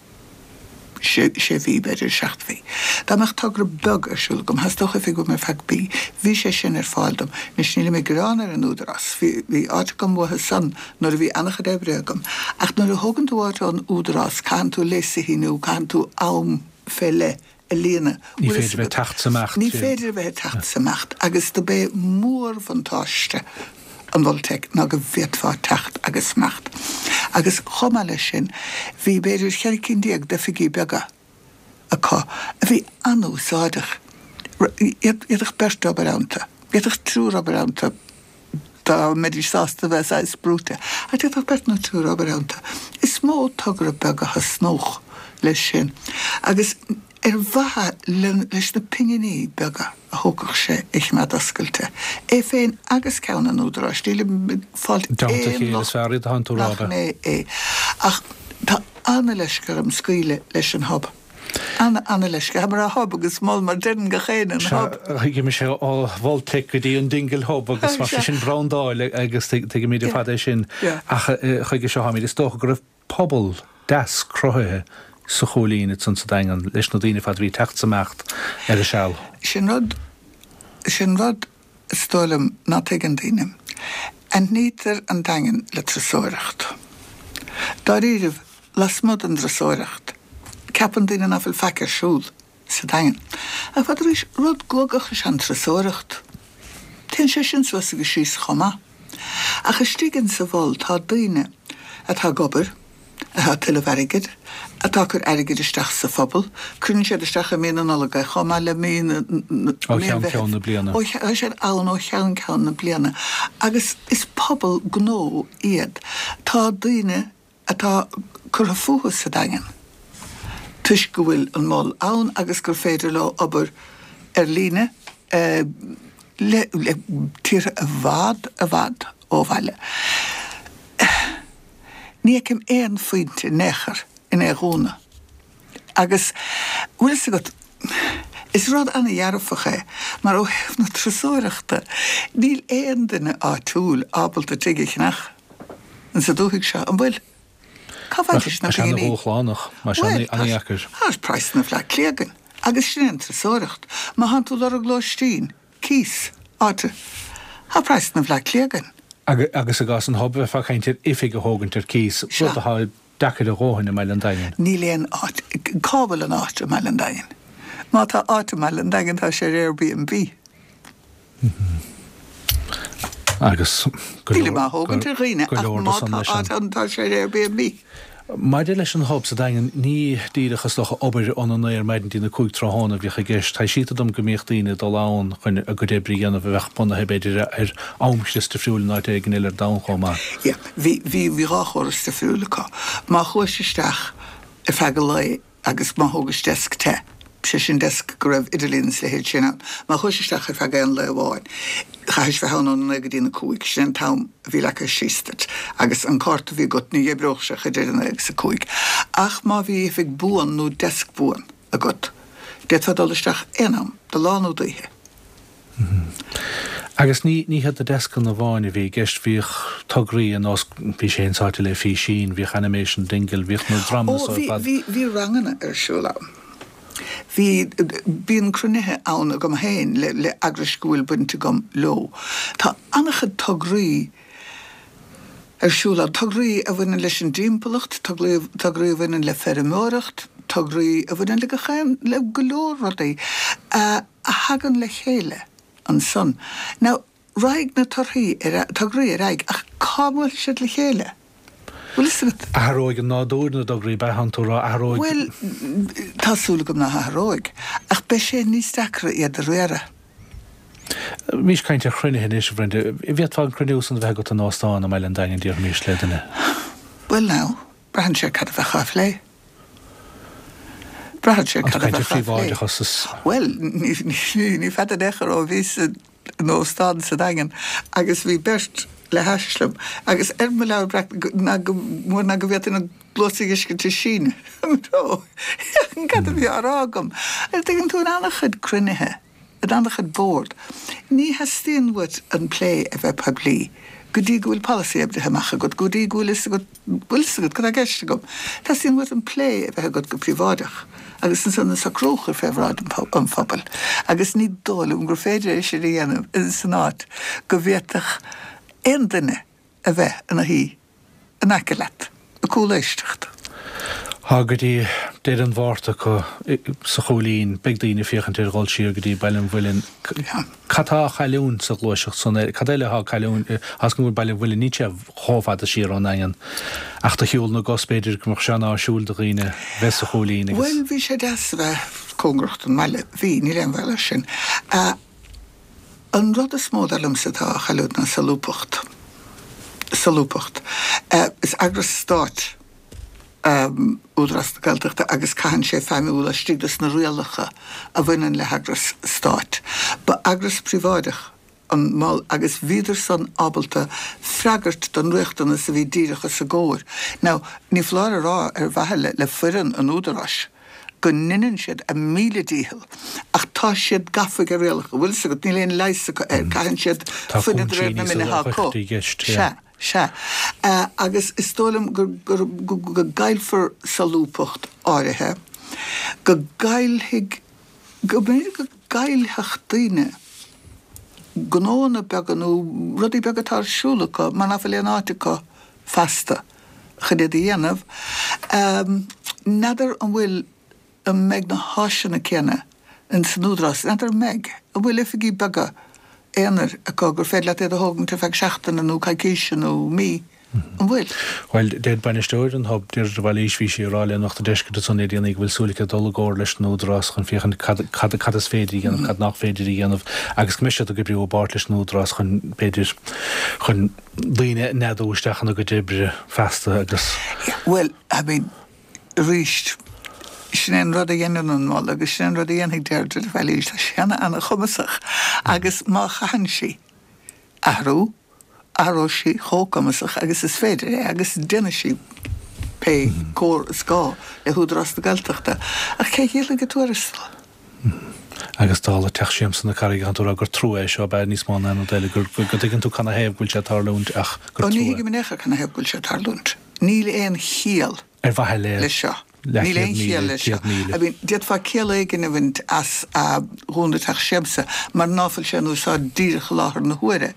sé mhí, b'fhéidir seacht mhí. Dá mbeadh togra beag ar siúl agam, theastódh oifig uaim ar feadh mí. Bhí sé sin ar fáil dom. Anois, nílim ag gearán ar an Údarás. Bhí, bhí áit agam uathu san nuair a bhí an-chuid oibre agam. Ach nuair a thógann tú áit ón Údarás, caitheann tú léas a shíniú, caitheann tú am fé leith a líonadh. Ní féidir a bheith ag teacht 's imeacht. Ní féidir a bheith ag teacht 's imeacht agus do b'é mórbhuntáiste an Mholtec ná go bhféadfá teacht agus imeacht. Agus chomh maith leis sin, bhí b'fhéidir cheithre cinn déag d'oifigí beaga acu a bhí an-úsáideach. D'fhéadfadh beirt obair iontu, d'fhéadfadh triúr obair iontu dá mbeidís sásta a bheith saghas brúite, ach d'fhéadfadh beirt nó triúr obair iontu. Is mó togra beag a thosnódh leis sin. Agus ar mhaithe leis na pinginí beaga a thógfadh sé é a choimeád oscailte, é féin agus ceann an Údaráis, nílim ag fáilt aon locht nach mé é. Ach tá an-leisce orm scaoileadh leis an Hub. Ana-ana-leisce. Tá mé ag rá Hub agus Mol mar deireann gach éinne an Hub. Thuig mise ó Mholtec go dtí an Dingle Hub agus mar sin brandáil agus tuigimid ar fad é sin. Ach chuige seo táimid, is dócha go raibh pobal deas cruthaithe sa Chúilín ansan sa Daingean leis na daoine ar fad a bhí ag teacht 's imeacht ar a seal. Sin rud, sin rud is dóigh liom ná tuigeann daoine. Aithnítear an Daingean le turasóireacht. Dáiríribh, lasmuigh den dturasóireacht, ceapann daoine ná fuil faic ar siúl sa Daingean. Ach fad arís, rud guagach is ea an turasóireacht. Téann sé sin suas agus síos chomh maith. Ach istigh insa mhol tá daoine atá ag obair, atá ag tuilleamh airgid, atá ag cur airgid isteach sa phobal, cuireann siad isteach i mí na Nollag é chomh maith le mí na, Ó cheann ceann na bliana. Ó, tá siad ann ó cheann ceann na bliana. Agus is pobal gnó iad. Tá daoine atá curtha fúthu sa Daingean toisc go bhfuil an Mol ann agus gur féidir leo obair ar líne le tíortha i bhfad, i bhfad ó bhaile. Ní fheicim aon phointe in aon chor in é a dhúnadh. Agus, bhfuil fhios agat, Is rud an-dhearfach é, mar ó thaobh na turasóireachta, níl aon duine áitiúil ábalta tigh a cheannach insa dúthaigh seo, an bhfuil? Cá bhfaighidís na Tá sé pinginí? ana-dhúshlánach, mar sé Bhuel, tá an-dheacair. Tá praghsanna Bhleá Cliath againn, agus sin é an turasóireacht. Má thánn tú ag lorg lóistín, cíos, áite, tá praghsanna Bhleá Cliath againn. Agus i gcás an Hub, bheifeá ag caint ar oifig a thógaint ar cíos, Sea. rud atá deacair a dhóthain i mBaile an Daingin. Níl aon áit, cá bhfuil an áit i mBaile an Daingin? Má tá áit i mBaile an Daingin tá sé ar Airbnb. Agus go Nílim leor á thógaint ar dhaoine go ach leor má de san tá leis an áit ann tá sé ar Airbnb. Maidir leis an Hub sa Daingean, ní díreach is dócha obair óna naoi ar maidin dtína cúig tráthnóna a bhíodh i gceist. Taibhsítear dom go mbíodh daoine ag dul ann chun a gcuid oibre a dhéanamh a bheadh bunaithe b'fhéidir ar amchrios difriúil in áit éigin eile ar domhan chomh maith. Yeah, bhí bhí bhí dhá chóras difriúil acu. Má chuais isteach ar feadh an lae agus má thógais deasc te, sé sin deasc go raibh idirlíon is leithéid sin ann, má chuais isteach ar feadh aon lae amháin, chaithis bheith ann óna naoi go dtí na cúig, sin an t-am a bhí leagtha síos duit, agus an cárta a bhí agat ní oibreodh sé idir a naoi agus a cúig. Ach má bhí oifig buan nó deasc buan agat, d'fhéadfá dul isteach aon am, de lá nó d'oíche. Agus ní ní hiad na deascanna amháin a bhí i gceist, bhíodh tograí ar nós bhí sé insáite le físín, bhíodh Animation Dingle, bhíodh na dreamanna Ó, so ar bhí fad. bhí bhí ranganna ar siúl ann. Bhí bíonn cruinnithe ann agam féin le le eagrais go bhfuil baint agam leo. Tá an-chuid tograí ar siúl ann, tograí a bhaineann leis an dtimpeallacht, tograí tograí a bhaineann le feirmeoireacht, tograí a bhaineann le gach aon le go leor rudaí a a thagann le chéile ansan. Now, raghaidh na torthaí ar tograí ar aghaidh ach cá mbuailfidh siad le chéile? Bhfuil fhios agat? Athróidh an nádúr na dtograí beatha tú rá athróidh. Bhuel, tá súil agam nach athróidh, ach beidh sé níos deacra iad a riaradh. Bhís ag caint ar chruinnithe anois, a Bhrenda. Bhféadfá an cruinniú san a bheith agat in óstán i mBaile an Daingin déarfaimis le duine. Bhuel now, braitheann sé cad a bheadh á phlé. Braitheann sé An cad a caint ar bheadh á phlé. phríobháideachas is Bhuel, ní ní ní fada in aon chor ó bhíos in óstán sa Daingean agus bhí beirt le hais liom agus ar mo leabhar breac ná go mór ná go bhféadfainn a gcluasa a fheiscint ag síneadh i mo threo. Cad a bhí á rá agam? An dtuigeann tú in an-chuid cruinnithe, in an-chuid bord. Ní theastaíonn uait an plé a bheith poiblí go dtí go bhfuil polasaí oibrithe amach agat, go dtí go bhfuil fhios agat bhfuil fhios agat cad tá i gceist agam. Teastaíonn uait an plé a bheith agat go príobháideach agus ansan an socrú a chur fé bhráid an phobail. Agus ní dóigh liom gur féidir é sin a dhéanamh san áit go bhféadfadh aon duine a bheith ina shuí in aice leat, ag cúléisteacht. Tá go dtí deireadh an Mhárta acu sa Chúilín, beidh daoine ag féachaint ar dhul siar go dtí Baile an Mhuilinn. Cad tá á chailliúint sa ghluaiseacht san? Cad eile atá á cailliúint as go bhfuil Baile an Mhuilinn níl sé chomh fada siar ón nDaingean. Ach do shiúl na gcos b'fhéidir go mbeadh sé an-áisiúil do dhaoine bheith sa Chúilín agus. Bhuel, bhí sé deas a bheith cóngarach don mbaile. Bhí, níl aon bhaol air sin. An rud is mó dar liomsa atá á chailliúint ná solúbthacht. Solúbthacht. Is eagras stáit Údarás na Gaeltachta agus caitheann sé feidhmiú laistigh de na rialacha a bhaineann le heagras stáit. Ba eagras príobháideach an mol agus bhíodar san ábalta freagairt don riachtanas a bhí díreach os a gcomhair. Now, ní foláir a rá ar mhaithe le, le foireann an Údaráis go ndeineann siad a míle dícheall ach tá siad gafa ag rialacha, bhfuil fhios agat, níl aon leigheas acu air, caitheann siad Tá fuinneamh de réir cúinsí na níos mine atá acu. i gceist, Sea. yeah. Sea. Agus is dóigh liom go go gcaillfear solúbthacht áirithe, go gcaillfidh, go mb'fhéidir go gcaillfeadh daoine gnóanna beaga nó rudaí beaga atá ar siúl acu mar nach bhfuil aon áit acu feasta chun iad a dhéanamh. N'fheadar an bhfuil, an mbeidh na háiseanna céanna ins an Údarás, n'fheadar an mbeidh, an bhfuil oifigí beaga aonair acu gur féidir leat iad a thógaint ar feadh seachtaine nó coicíse nó mí, an bhfuil? Bhuel, deir bainisteoir an Hub, Deirdre de Bhailís, bhí sí ag rá le Nuacht an Deiscirt ansan le déanaí go bhfuil súil aici dul i gcomhar leis an Údarás chun féachaint cad, cad, cad is féidir a dhéanamh, cad nach féidir a dhéanamh agus go mbeidh siad ag oibriú i bpáirt leis an Údarás chun, b'fhéidir, chun daoine a neadú isteach ina gcuid oibre feasta agus. Bhuel, I mean, arís, sin é an rud a dhéanann an mol agus sin é an rud a dhéanfaidh Deirdre de Bhailís, tá sí ana-chumasach agus má chaitheann sí athrú, athróidh sí chomh cumasach agus is féidir é agus déanfaidh sí pé comhar is gá le hÚdarás na Gaeltachta. Ach cé dhíolfaidh a tuarastal? Agus dála Teach Siamsa na Carraige, tá tú ag rá gur trua é seo, ab ea, níos mó ná aon rud eile, gur go dtuigeann tú canathaobh go bhfuil sé ag tarlúint ach gur Ó ní trua. thuigim in aon chor canathaobh go bhfuil sé ag tarlúint. Níl aon chiall Ar mhaithe le leis seo. Níl leathchéad aon chiall míle, leis seo. céad míle. I mean, d'fhéadfá ciall éigin a bhaint as dhúnadh Teach Siamsa mar ná fuil sé in úsáid díreach i láthair na huaire.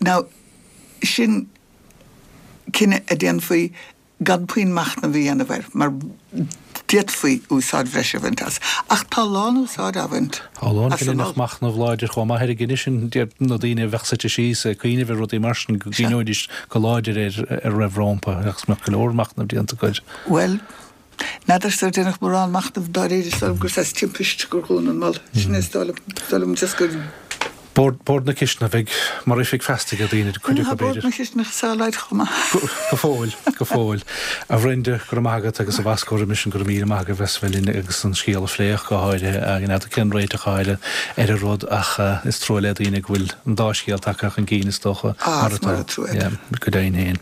Now, sin cinneadh a déanfaí gan puinn machnaimh a dhéanamh air, mar d'fhéadfaí úsáid bhreise a bhaint as. Ach tá lán-úsáid á bhaint Tá a lán as an cinneadh mol. machnamh láidir chomh maith ar an gcinneadh sin, deir na daoine a bheadh suite síos ag cuimhneamh ar rudaí mar sin go Sea. gcuimhneoidís go láidir ar ar a raibh rompu agus mbeadh go leor machnaimh déanta acu. Bhuel, n'fheadar ar deineadh mórán machnaimh dáiríre, is dóigh liom gur saghas timpist gur dhún an mol. Sin é is dóigh liom, is dóigh liom just gur. Bord, Bord na Cisteanach, bheidh mar oifig feasta ag daoine, cuid acu Tá Bord b'fhéidir. na Cisteanach sáláid chomh maith. Go, go fóill, go fóill. A Bhrenda, go raibh maith agat agus a Bhasco roimis sin, go raibh míle maith agat bheith linn agus an scéal a phlé ach go háirithe, ag an fheadar cén réiteach atá ar ar an rud ach is trua le daoine go bhfuil an dá scéal tagtha chun cinn is dócha Ah, mar is atá. mar atá. Yeah, go deimhin féin.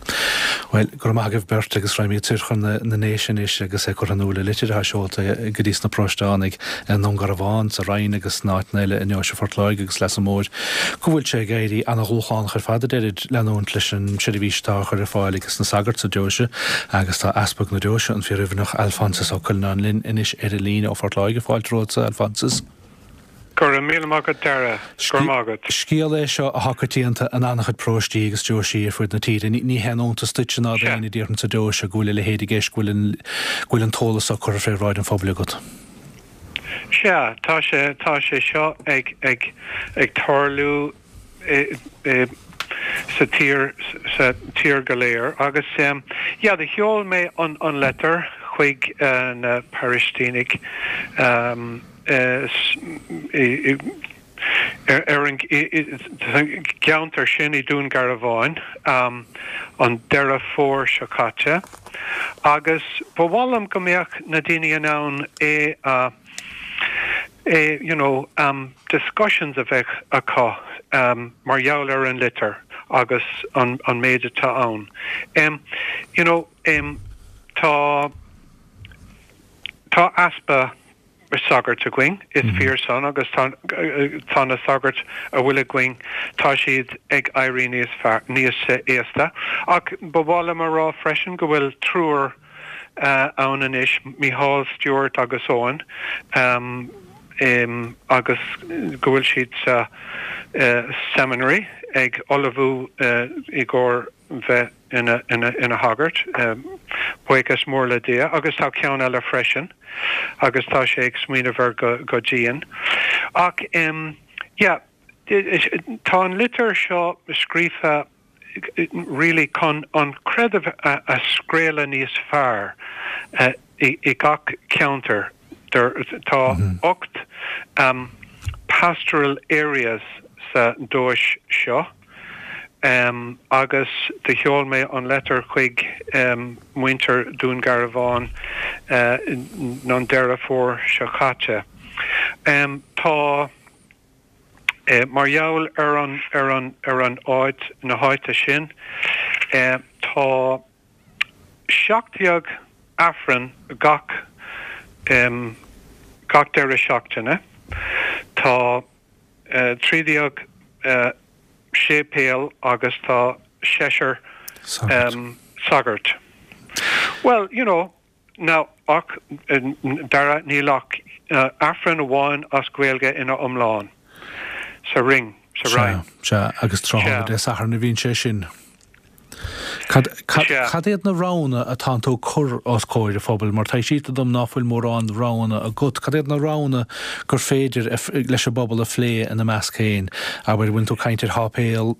Bhuel, go raibh maith agaibh beirt agus raghaimid soir chun na, na nDéise anois agus é curtha in iúl i litir atá seolta go dtí sna paróistánaigh i nDún Garbhán, sa Rinn agus sna áiteanna eile i nDeoise Phort Láirge agus Leasa Móir go bhfuil sé ag éirí ana-dhúshlánach ar fad a deirid leanúint leis an seirbhís atá á chur ar fáil ages na sagairt sa deoise agus tá Easpag na Deoise an Fíor-Oirmhinneach Alphonsus Ó Cuinneanáin linn anois ar an líne ó Phort Láirge. Fáilte romhatsa, Alphonsus. Go raibh míle maith agat Dara, go raibh maith agat. Scéal é seo atá coitianta in an-chuid paróistí agus deoisí ar fud na tíre. Ní, ní haon iontas duit ná Sea. d'aon duine sa deoise go bhfuil a leithéid i gceist go bhfuil an, go bhfuil an t-eolas á cur fé bhráid an phobail agat. Sea, tá sé tá sé seo ag ag ag tarlú i, i, sa tír sa tír go léir agus um, yeah, do sheol mé an an letter chuig uh, na paróistínigh um, uh, s- i, i, ar ar an i- i- gceantar sin i Dún Garbhán um, an Deireadh Fómhair seo caite agus ba mhaith liom go mbeadh na daoine in ann é a é you know um, discussions a bheith acu um, mar gheall ar an litir agus an, an méid atá ann. Um, you know, um, tá tá easpa sagart againn is mm -hmm. fíor san agus tá tá na sagairt a bhfuil againn tá siad ag éirí níos fearr níos aosta ach ba mhaith liom a rá freisin go bhfuil triúr uh, ann anois Micheál Stewart agus Owen um, um, agus go bhfuil siad sa uh, seminary ag ullmhú uh, i gcomhair bheith ina ina ina shagart um, buíochas mór le Dia agus tá ceann eile freisin agus tá sé ag smaoineamh air go go dian ach um, yeah, tá an litir seo scríofa really chun an creideamh a, a scraoladh níos fearr uh, i, i gach ceantar der tá mm -hmm. ocht um, pastoral areas sa deoise seo um, agus do sheol mé an letter chuig um, muintir Dún Garbhán uh, an Deireadh Fómhair seo caite. Um, tá eh, mar gheall ar an ar an ar an áit na háite sin eh, tá seacht déag Aifreann gach um, gach deireadh seachtaine tá uh, trí déag uh, séipéal agus tá seisear Sagart. um, sagart. Well, you know, now ach uh, Dara níl ach uh, Aifreann amháin as Gaeilge ina iomlán sa ring sa Rinn. Sea, agus tráthnóna Sea. Dé Sathairn a bhíonn sé sin. Cad cad- Sea. cad iad na roghanna atá tú cur os comhair an phobail, mar tá siad dom ná fuil mórán roghanna agat, Cad iad na roghanna gur féidir a f- leis an bpobal a phlé ina measc féin, abair bhfuil tú ag caint ar shéipéal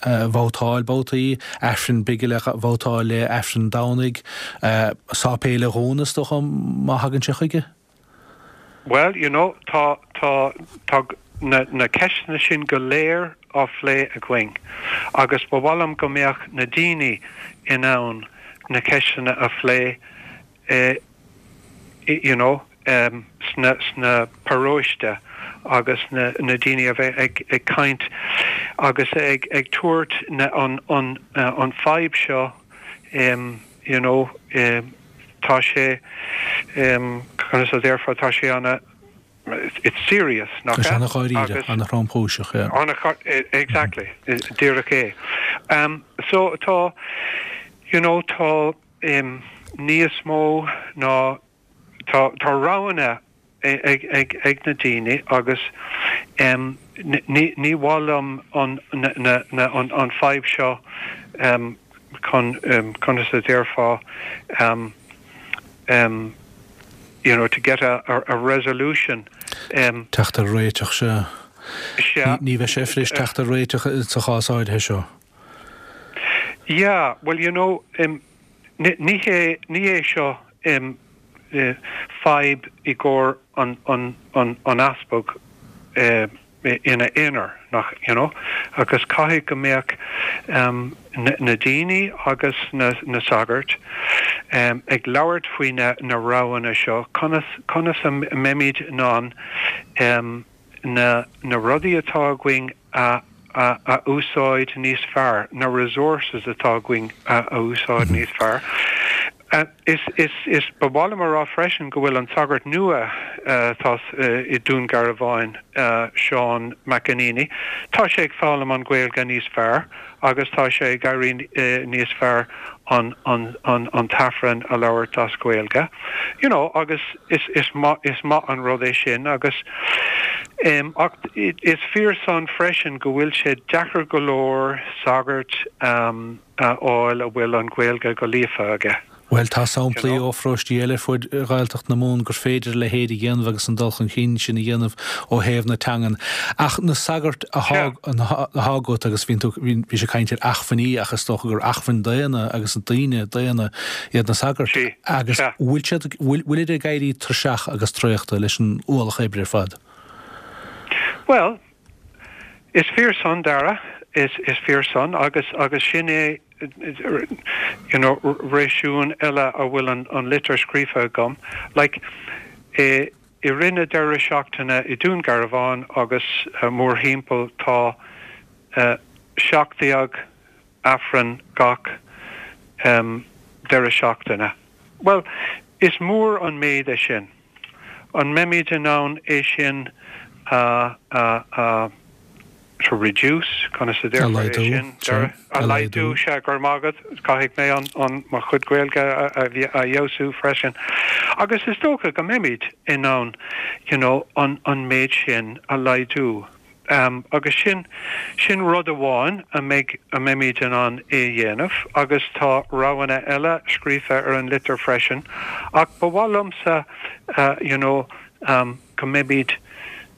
uh, vótáil babhtaí, Aifreann bige le vótáil le Aifreann Domhnaigh, uh, séipéal a dhúnadh is dócha má thagann sé chuige? Well, you know, tá tá tá na na ceisteanna sin go léir á phlé againn. Agus ba mhaith liom go mbeadh na daoine in ann na ceisteanna a phlé eh, you know, um, sna, sna paróiste agus na, na daoine a bheith ag, ag caint agus ag, ag tabhairt na, an, an, uh, an fadhb seo um, you know, um, tá sé um, conas a déarfá tá sé ana it's serious, nach ea? Ana-dháiríre, ana-thromchúiseach, yeah. Ana exactly, díreach é. Um, so tá, you know, tá um, níos mó ná tá, tá roghanna ag, ag, ag na daoine agus um, ní, ní mhaith liom an, na, na, na, an, an fadhb seo um, chun um, conas a déarfá um, um, you know, to get a, a, a resolution. Um, Teacht ar réiteach se. Ní bheidh sé fuirist teacht ar réiteach sa chás áirithe seo. Yeah, well, you know, um, ní hé ní hé seo um, uh, fadhb i gcomhair an, an, an, an easpag uh, ina aonar nach you know agus caithfidh go mbeadh um, na, na daoine agus na, na sagairt um, ag labhairt faoi na, na roghanna seo conas conas a mbeimid in ann um, na, na rudaí atá againn a a, a úsáid níos fearr, na resources atá againn a, a úsáid mm -hmm. níos fearr. Uh, is is is ba mhaith liom a rá freisin go bhfuil an sagart nua uh, tá uh, i Dún Garbhán uh, Seán McEneaney. Tá sé ag foghlaim an Ghaeilge níos fearr agus tá sé ag éirí uh, níos fearr an an an an t-aifreann a labhairt as Gaeilge. You know, agus is is maith is maith an rud é sin agus um, ach is fíor san freisin go bhfuil sé deacair go leor sagart um, a fháil a bhfuil an Ghaeilge go líofa aige. Well tá samplaí ó pharóistí eile fud Ghaeltacht na Mumhan gur féidir le héad a dhéanamh agus an dul chun cinn sin a dhéanamh ó thaobh na teangan. Ach na sagairt atá agat agus bhí bhí sé caint ar acmhainní ach is dócha gur acmhainn daonna agus an daoine daonna iad na sagairt agus bhfuil siad bhfuil ag éirí tuirseach agus traochta leis an ualach oibre ar fad. Well, is fíor san Dara is is fíor san agus agus sin é you know réasún eile a bhfuil an, an litir scríofa agam like e, i rith na deireadh seachtaine i Dún Garbhán agus uh, mórthimpeall tá uh, seacht déag aifreann gach um, deireadh seachtaine. Well, is mór an méid é sin. An mbeimid in ann é sin uh, uh, uh, to reduce conas a déarfá sin a laghdú sé gur magad caithfidh mé an an mo chuid Gaeilge a a fheabhsú freisin. Agus is dócha go mbeimid in ann you know, an an méid sin a laghdú. Um, agus sin sin rud amháin a mbeidh a mbeimid in ann é dhéanamh, agus tá roghanna eile scríofa ar an litir freisin, ach ba mhaith liomsa uh, you know, um, go mbeimid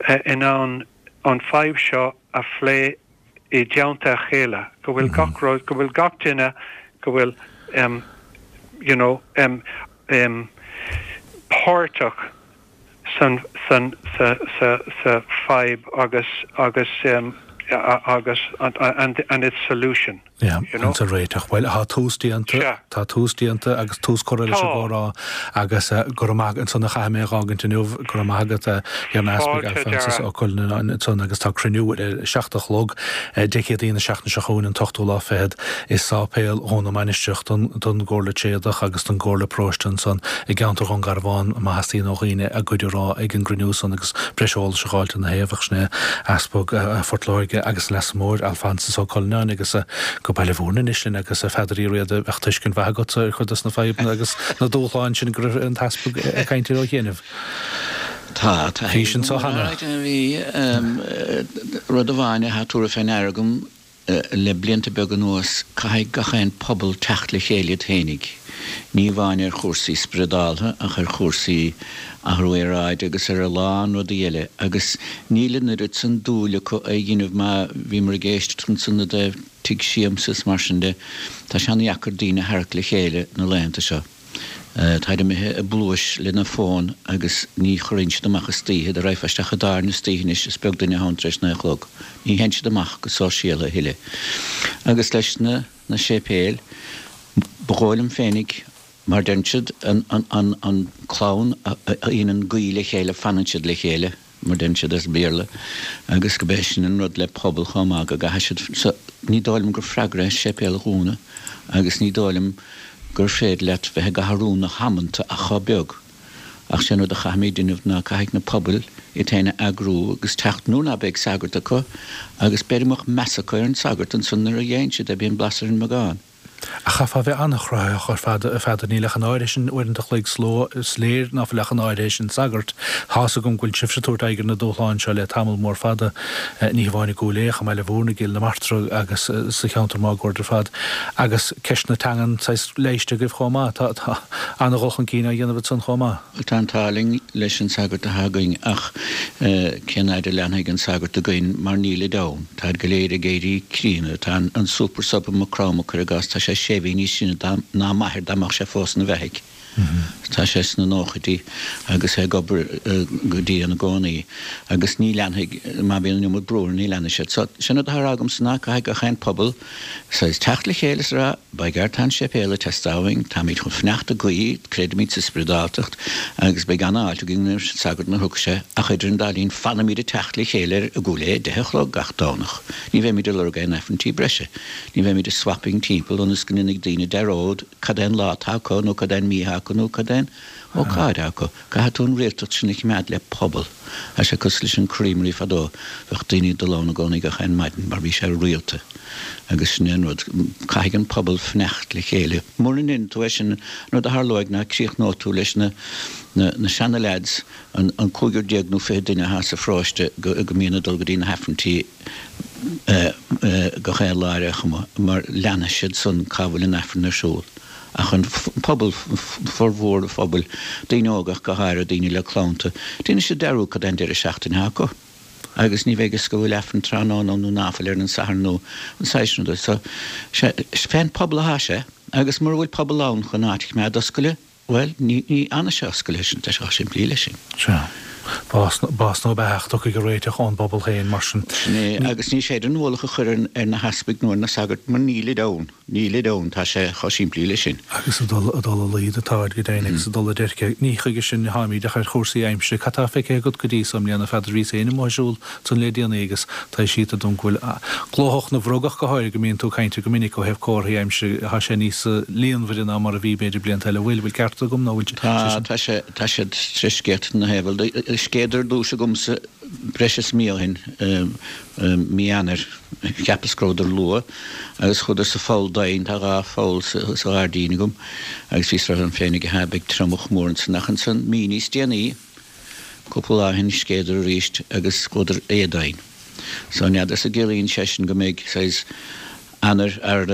uh, in ann an fadhb seo a phlé i dteannta a chéile, go bhfuil mm -hmm. gach rud, go bhfuil gach duine go bhfuil um, you know, um, um, páirteach san san sa sa sa fadhb agus agus um, agus and, and, and its solution. Yeah, you know? Sa réiteach. Well tá tús déanta tá tús déanta agus tús curtha leis an gcomhrá agus go raibh maith ansan a chaithfidh mé a fhágaint inniu go raibh maith agat ar an Easpag Alphonsus Ó Cuinneanáin ansan agus tá cruinniú ar seacht a chlog Dé Céadaoin na seachtaine seo chugainn an t-ochtú lá fichead i Sáipéal Dhún na Mainistreach don gComhairle Tréadach agus don gComhairle Paróiste ansan i gceantar Dhún Garbhán má theastaíonn ó dhaoine a gcuid a rá ag an gcruinniú san agus breis eolais a fháilt ina thaobh ach sin é Easpag Phort Láirge agus Leasa Móir Alphonsus Ó Cuinneanáin agus go Baile Mhúirne anois linn agus a Pheadair Uí Riada bheadh tuiscint mhaith agat ar chuid des na fadhbanna agus na dúshláin sin go raibh an tEaspag ag caint air ó chianaibh. Tá, tá. Bhí sin so cheana. Bhí rud amháin atá tabhartha fé ndeara agam le blianta beaga anuas, caithfidh gach aon pobal teacht le chéile iad fhéinig. Ní amháin ar chúrsaí spioradálta ach ar chúrsaí athrú aeráide agus ar a lán rudaí eile agus níl an oiread san dúil acu é a dhéanamh má bhíomar ag éisteacht ansan i dtaobh tigh siamsa is mar sin de. Tá sé an-dheacair daoine a tharrac le chéile na laethanta seo. Táid imithe i bpluais lena bhfón agus ní chuireann siad amach istoíche, dá raghfá isteach i dtábhairne istoíche anois is beag duine ann tar éis naoi a chlog. Ní théann siad amach go sóisialta a thuilleadh. Agus leis na na séipéil, ba dhóigh liom féinig, mar deireann siad, an an an an clann a dhéanann guí le chéile fanann siad le chéile, mar deireann siad as Béarla, agus go b'é sin an rud le pobal chomh maith, go gcaithfidh siad, so ní dóigh liom gur freagra é séipéal a dhúnadh agus ní dóigh liom gur féidir leat bheith ag athrú na hamanta ach chomh beag Ach sé an rud a chaithfimid déanamh ná caithfidh na pobail iad féin a eagrú agus teacht nuair ná beidh sagart acu agus b'fhéidir go mbeadh meas acu ar an sagart ansan nuair a dhéanann siad é, bíonn blas ar an mbeagán. Ach chaithfeá a bheith an-chruthaitheach ar fad, a Pheadair, níl ach an áirithe sin uaireanta a chloig sa ló, is léir ná fuil ach an áirithe sin sagart. Tá's agam go bhfuil sibhse ag tabhairt aghaidh ar na dúshláin seo le tamall mór fada, ní hamháin i gCúil Aodha, i mBaile Mhúirne, i gCill na Martra agus sa cheantar máguaird ar fad. Agus ceist na teangan saghas leighiste agaibh chomh maith. Tá, tá an-dhul chun cinn á dhéanamh ansan chomh maith. Bhuel, tá an t-ádh linn leis an sagart atá againn ach cén fhaid a leanfaidh an sagart againn mar nílid ann. Táid go léir ag éirí críonna. Tá an super sub i Maigh Chromtha, cuir i gcás, tá sé sé mhí níos sine ná m'athair dá mbeadh sé fós ina bheathaidh. Tá sé sna nóchaidí agus é ag obair go dian i gcónaí agus ní leanfaidh, má bhíonn an iomad brú air, ní leanfaidh siad. So, sin rud atá á rá agamsa ná caithfidh gach aon pobal saghas teacht le chéile is a rá, by gar tá an séipéal ag teastáil uainn, táimid chun fanacht ag guí, creidimid sa spioradáltacht agus beidh an-fháilte againn roimh an sagart nuair a thiocfaidh sé ach idir an dá linn fanfaimid ag teacht le chéile ar i gCúil Aodha, deich a chlog gach Domhnach. Ní bheimid ag lorg aon aifrinntí breise. Ní bheimid ag swapping timpeall ionas go ndéanfaidh daoine dearúd cad é an lá atá acu nó cad é an mí atá acu nó cad é an ócáid atá acu. Caithfidh tú an rialtacht sin a choimeád le pobal. Tá sé cosúil leis an creamery fadó, bheadh daoine ag dul ann i gcónaí gach aon maidin mar bhí sé rialta. Agus sin é an rud, caithfidh an pobal fanacht le chéile. Mura ndéanann tú é sin, an rud a tharlóidh ná críochnóidh tú leis na na seana leaids, an an cúigear déag nó fiche duine atá sa pharóiste go go mbíonn ag dul go dtí na haifrinntí gach aon lá ar aon chuma, mar leanfaidh siad san cá bhfuil an Aifreann ar siúl. Ach an pobal, formhór an phobail, daoine óga ach go háirithe, daoine le clannta, déanfaidh siad dearúd cad é an deireadh seachtaine atá acu agus ní bheidh fhios go bhfuil Aifreann tráthnóna ann nó ná fuil ar an Satharn nó an saghas sin ruda. So, fén pobal atá sé agus mura bhfuil pobal ann chun áit a choimeád oscailte, Bhuel, ní fhanfaidh sé oscailte, sin, tá sé chomh simplí leis sin. Sea. Bás, bás nó beatha, ach tiocfaidh an réiteach ón bpobal féin, mar sin. Sin é, agus ní féidir an ualach a chur ar na heaspaig nó ar na sagairt mar nílid ann. Nílid ann, tá sé chomh simplí leis sin. Agus ag dul, ag dul i laghad atáid go deimhin agus ag dul i dteirce. Ní chuige sin atáimid ach ar chúrsaí aimsire. Cad tá feicthe agat go dtí so i mbliana, a Pheadair? Bhíos féin amuigh ag siúl ansan le déanaí agus tá sé siúd dom go bhfuil glóthach na bhfrog ach go háirithe go mbíonn tú ag caint air go minic ó thaobh comharthaí aimsire, tá sé níos líonmhaire ná mar a bhí b'fhéidir blianta eile. Bhfuil, bhfuil ceart agam nó bhfuil sé Tá, sin? tá sé, tá siad tar éis scéata na thaobh. Bhuel, scéadar ar dtús agamsa breis is mí ó shin, mí Eanáir, cheapas go rabhadar luath agus chuadar sa pholl doimhin, tá dhá pholl sa ghairdín agam agus bhíos ag rá liom féinig, aha, beidh triomach mór ansan ach ansan mí níos déanaí, Cúpla lá ó shin scéadar arís agus chuadar éadomhain. So n'fheadar an gciallaíonn sé sin go mbeidh saghas Eanáir ar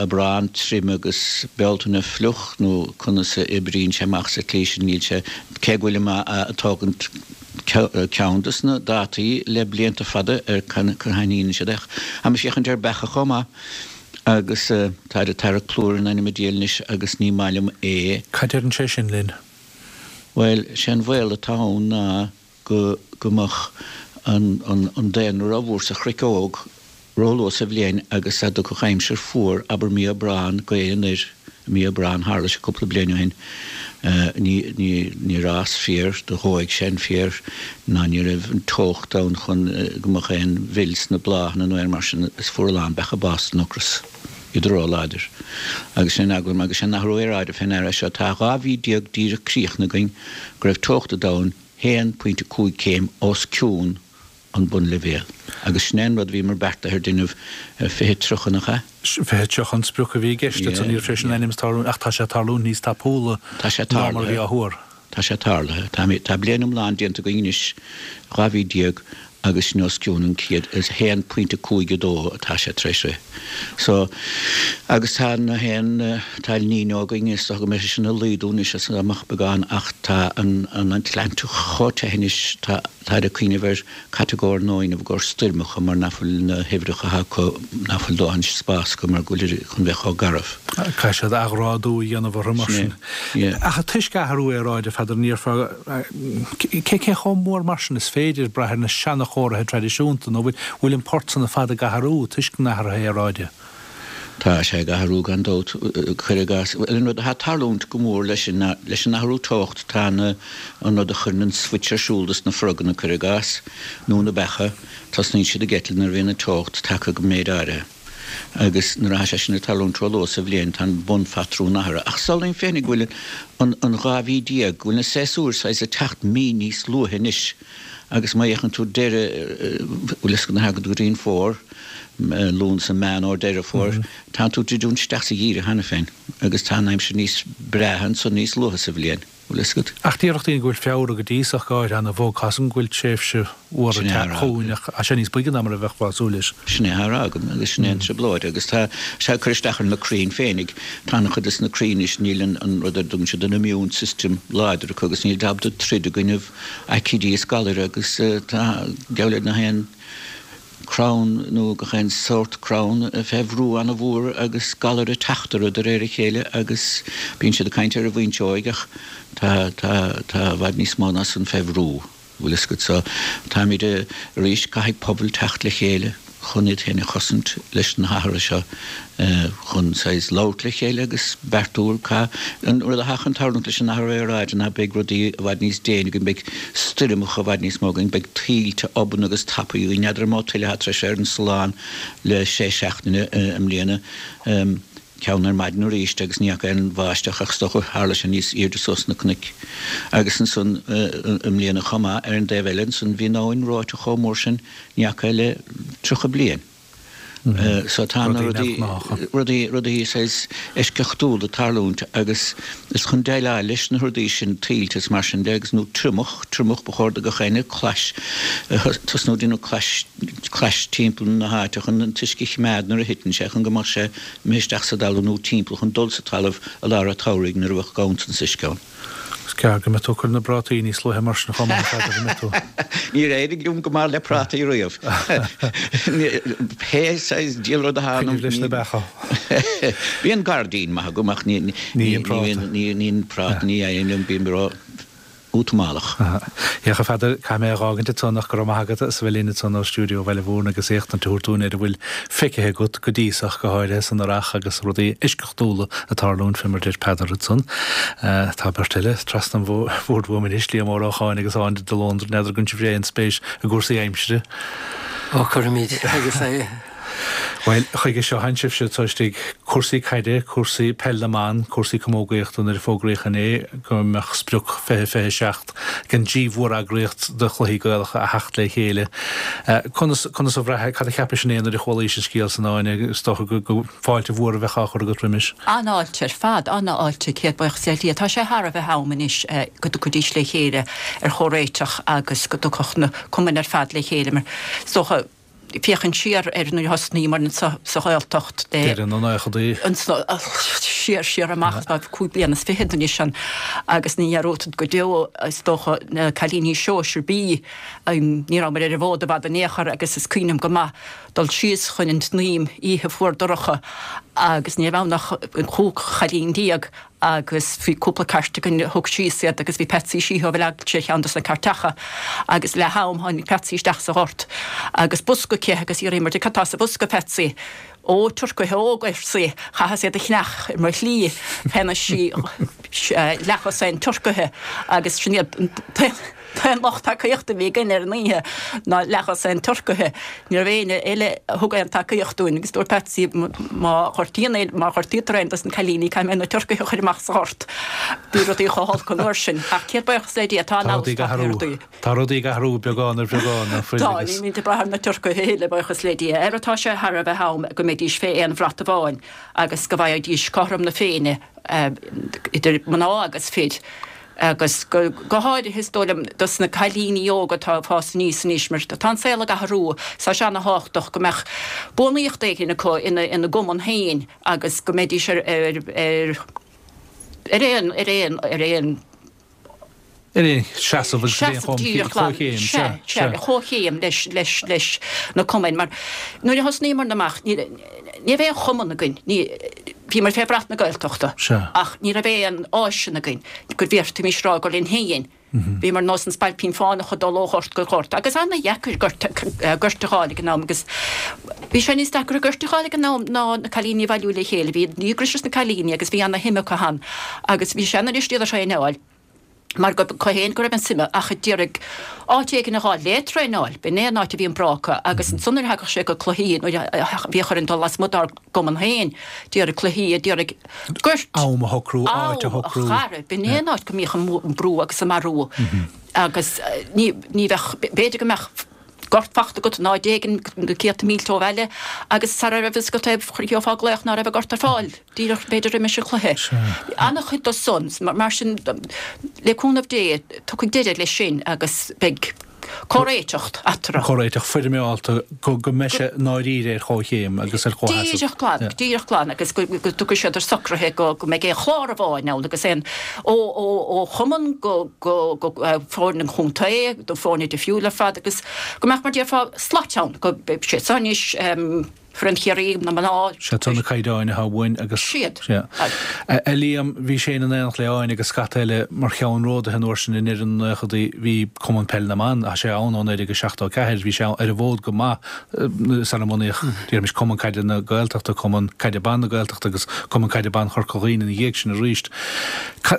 Aibreán tirim agus Bealtaine fliuch nó conas a oibríonn sé amach sa tslí sin níl sé cé go bhfuilim a' tógaint ceann dos na dátaí le blianta fada ar conas a thaitníonn siad ach táim ag féachaint ar beacha chomh maith agus táid ag tarrac plúr in ainm an diabhail anois agus ní maith liom é. Cad deireann sé sin linn? Bhuel, sé an bhaol atá ann ná go go mbeadh an an an daonra rómhór sa chnoic óg róluath sa bhliain agus dá dtiocfadh aimsir fuar, abair mí Aibreán, gaoth anoir i mí Aibreán, tharla sé cúpla bliain ó shin, ní ní níor fhás féar, do dhóigh sé an féar ná ní raibh an teocht ann chun go mbeadh aon mhil sna bláthanna nó aon mar sin is fuair a lán beacha bás den ocras. Iad róláidir. Agus sin an eagla orm agus sé an athrú aeráide fé ndeara seo. Tá dhá mhí déag díreach críochnaithe againn go raibh teocht an domhain haon pointe cúig céim os cionn an bunleibhéal. Agus sin é an rud a bhíomar beartaithe ar déanamh fiche tríocha nach ea? Fiche tríocha an sprioc a bhí i gceist ansan, ní raibh sé sin in ainm is tarlúint ach tá sé ag tarlúint níos tapúla Tá sé ná mar a bhí tarlaithe. á thuar. Tá sé tarlaithe. Tá tá bliain iomlán déanta againn anois, dhá mhí déag, agus sin os cionn an chéad, is haon pointe cúig a dó atá sé tar éis rith. So, agus tá na haon, tá El Niño againn, is dócha go mbeidh sé sin ag laghdú anois as amach beagán ach tá an an Atlantach chomh te anois, tá, táid ag cuimhneamh ar catagóir nua a dhéanamh i gcomhair stoirmeacha mar nach bhfuil na huimhreacha atá acu, nach bhfuil dóthain spás acu mar go bhfuil chun bheith chomh garbh. Caithfidh siad athghrádú a dhéanamh orthu mar Sin sin. é, yeah. Ach toisc athrú aeráide, a Pheadair, ní déarfá, cé cé chomh mór mar sin is féidir brath ar na seanachóirithe traidisiúnta nó bhfuil bhfuil an port san ar fad ag athrú toisc an athraithe aeráide? Tá sé ag athrú gan dabht, cuir i gcás. Bhuel, an rud atá ag tarlúint go mór leis an leis an athrú teocht, tá na an rud a chuireann an switch ar siúl dos na froganna, cuir i gcás, nó na beacha, tosnaíonn siad ag eitilt nuair a bhíonn an teocht tagtha go méid áirithe. Agus nuair atá sé sin ag tarlúint ró-luath sa bhliain, tá an bunphatrún athraithe. Ach samhlaím féinig go bhfuil an an dhá mhí déag, go bhfuil na séasúir saghas ag teacht mí níos luaithe anois. Agus má fhéachann tú deireadh, bhfuil fhios agat nuair a thagann tú go dtí an fómhar, Lúnasa, Meán Fhómhair, Deireadh Fómhair, tánn tú ag druidiúint isteach sa gheimhreadh cheana féin agus tá an aimsir níos breátha ansan níos luaithe sa bhliain. Bhfuil fhios agat? Ach déarfadh daoine go bhfuil Feabhra go dtí so go háirithe ana-bhog. Tá 's agam go bhfuil tréimhse fhuar Sin ag é teacht a rá chugainn agam. ach tá sé níos boige ná mar a bheifeá ag súil leis. Sin é a rá agam agus sin é an trioblóid agus tá sé ag cur isteach ar na crainn féinig. Tá an-chuid des na crainn anois, níl an an rud ar dtugann siad an immune system láidir acu agus níl siad ábalta troid i gcoinnibh aicídí is galair agus tá geall le gach aon crann nó gach aon sórt crann fé bhrú ana-mhór agus galair ag teacht orthu de réir a chéile agus bíonn siad ag caint ar an bhfuinseoig ach tá tá tá i bhfad níos mó ná san fé bhrú, bhfuil fhios agat. So táimid arís, caithfidh pobail teacht le chéile chun iad féin a chosaint leis na hathruithe seo chun saghas labhairt le chéile agus beartú cá an rud atá chun tarlúint leis an athrú aeráide ná beidh rudaí i bhfad níos déine againn, beidh stoirmeacha i bhfad níos mó againn, beidh tuilte obann agus tapaidh againn. N'fheadar an mó tuile atá tar éis ar an Sullán le sé seachtaine i mbliana, ceann ar maidin arís agus ní fhaca aon bháisteach ach is dócha tharla sé níos airde suas sna cnoic. Agus ansan i mbliana chomh maith, ar an dtaobh eile ansan bhí an abhainn reoite chomh mór sin ní fhaca le tríocha bliain. So tá na Rudaí rudaí, neamhghnácha. rudaí, rudaí saghas eisceachtúla ag tarlúint agus is chun déileáil leis na rudaí sin, tuilte is mar sin de agus nó triomach, triomach, ba chóir do gach éinne clais, tosnú ag déanamh clais, clais timpeall na háite chun an t-uisce a choimeád nuair a thiteann sé chun go mbeadh sé imithe isteach sa dtalamh nó timpeall chun dul sa talamh i lár an tsamhraidh nuair a bheadh ganntan uisce ann. Is ceart go mbeadh tú ag cur na bprátaí níos luaithe mar sin chomh maith, a Pheadair, an mbeidh tú? Níor éirigh liom go maith le prátaí riamh. Pé saghas diabhal rud atá Cuimhnigh ionam, leis na beacha. Bíonn gairdín maith agam ach ní Ní an práta. ní an práta, ní éiríonn liom, bím ró útamalach. Féach, a Pheadair, caithfidh mé a dh'fhágaint ansan ach go raibh maith agat as a bheith linn ansan ó stiúideo Bhaile Mhúirne agus éachtaint a thabhairt dúinn ar a bhfuil feicthe agat go dtí so ach go háirithe san earrach agus rudaí eisceachtúla ag tarlúint fé mar deir Peadar ansan. Tá beirt eile trasna an bhoird uaim anois, Liam Ó Lócháin agus Áine de Lóndra, n'fheadar an gcuireann sibh aon spéis i gcúrsaí aimsire. Ó, cuirimid agus é. Bhuel, chuige seo tánn sibhse tá istigh cúrsaí caide, cúrsaí peil na mban, cúrsaí camógaíochta nuair a fógraíodh inné go mbeadh sprioc fiche fiche a seacht ag an dtrí mhóreagraíocht do chluichí Gaelacha a theacht le chéile. Conas, conas a bhraith, cad a cheapais inné nuair a chualaís an scéal san Áine? Is dócha go, go fáilte mhór a bheadh á chur agat roimis. An-fháilte ar fad, an-fháilte, céad buíochas le Dia. Tá sé thar a bheith am anois go dtiocfaidís le chéile ar chomhréiteach agus go dtiocfadh na cumainn ar fad le chéile mar is dócha féachaint siar ar nuair a thosnaíomar anseo sa Ghaeltacht de Deireadh na nóchaidí. siar siar amach tá cúig bliana is fichead anois ann agus ní dhearúdfad go deo is dócha na cailíní sóisir B ní rabhamar ar an bhfód i bhfad in aon chor agus is cuimhin liom go maith dul síos chun an tSnaidhm oíche fuar dorcha agus ní raibh ann ach cúig chailín déag agus bhí cúpla cairt againn a thug síos iad agus bhí Patsy Sheehy ó Bhaile Eaglais ar cheann dos na cairteacha agus le ham tháinig Patsy isteach sa ghort agus bosca aici agus d'fhiafraíomar di cad tá sa bhosca Patsy? Ó turcaithe óga arsa í, chaitheas iad a cheannach ar mo shlí cheannaigh sí leathdhosaen turcaithe agus sin iad an t-aon lucht tacaíochta a bhí againn ar an oíche ná leathdhosaen turcaithe. Ní raibh éinne eile a thug aon tacaíocht dúinn agus dúirt Patsy má ghortaíonn aon, má ghortaítear aon dos na cailíní caithfidh mé na turcaithe a chur amach sa ghort. Bhí rudaí chomh holc an uair sin. Ach céad buíochas le Dia tá Tá an rudaí ag fheabhas athrú. tagtha ar rudaí. Tá rudaí ag athrú beagán ar bheagán, nach fuil Tá, agus. nílimid ag brath ar na turcaithe a thuilleadh, buíochas le Dia. Ara tá sé thar a bheith am go mbeidís fé aon bhrat amháin agus go bhfaighidís cothrom na Féinne idir mná agus fir. Agus go háirithe is dóigh liom dos na cailíní óga atá ag fás aníos anois mar tá an saol ag athrú is tá sé ana-thábhachtach go mbeadh bunaíocht éigin acu ina ina gcumann féin agus go mbeidís ar ar ar ar aon ar aon ar aon Ar aon seasamh agus ar aon seasamh díreach glan chomhchéim, sea, sea, sea, sea. chomhchéim leis leis leis na cumainn mar nuair a thosnaíomar amach ní ní raibh aon chumann againn, ní bhíomar fé bhrat na Gaeltachta Sea. ach ní raibh aon áiseanna againn go bhféadfaimis rá gur linn féin. Bhíomar nós an Spailpín Fánach ag dul ó ghort go gort agus ana-dheacair gort gort a fháil ag an am agus bhí sé níos deacra gort a fháil ag an am ná na cailíní a bhailiú le chéile, bhí díograis sna cailíní agus bhí ana-shuim acu ann agus bhí sé ana-dheas iad a thraenáil. Mar go féin go raibh an suime ach d'iarraidh áit éigin a fháil le traenáil, b'in é an áit a bhí an bráca agus ansan nuair a thagadh sé go cluichí nuair a bhíodh orainn dul lasmuigh dár gcumann féin, d'iarraidh cluichí, d'iarraidh goirt, Am a shocrú, áit a am, a shocrú. chara, b'in é an áit go mbíodh an brú agus an marú agus ní ní bheadh, b'fhéidir go mbeadh gort fachta agat in áit éigin na céadta mílte ó bhaile agus sara raibh fhios agat é gheofá glaoch ná raibh an gort ar fáil díreach b'fhéidir roimis an chluiche. Bhí an-chuid de san, mar sin le cúnamh Dé tiocfaidh deireadh leis sin agus beidh comhréiteacht eatarthu. Comhréiteach foirmeálta go go mbeidh sé i ndáiríre ar chomhchéim agus ar chomhsheasamh. Díreach glan, díreach glan agus go go dtiocfaidh siad ar socruithe go go mbeidh aon chlár amháin ann agus aon ó ó ó chumann go go go foirne an chontae, do foirne difriúil ar fad agus go mbeadh mar déarfá slait ann go beidh sé seo anois foireann Chiarraí, na mná. Siad seo na caighdeáin atá uainn agus. Siad. Sea. A Liam, bhí Shane in éineacht le Áine agus scata eile mar cheannródaithe an uair sin i ndeireadh na nóchaidí. Bhí Cumann Peile na mBan, tá sé ann ó naoi déag a seachtó a ceathair, bhí sé ar an bhfód go maith sara mbunaíodh, déarfaimis, Cumann Caide na Gaeltachta, Cumann Caide Ban na Gaeltachta agus Cumann Caide Ban Chorca Dhuibhne ina dhiaidh sin arís.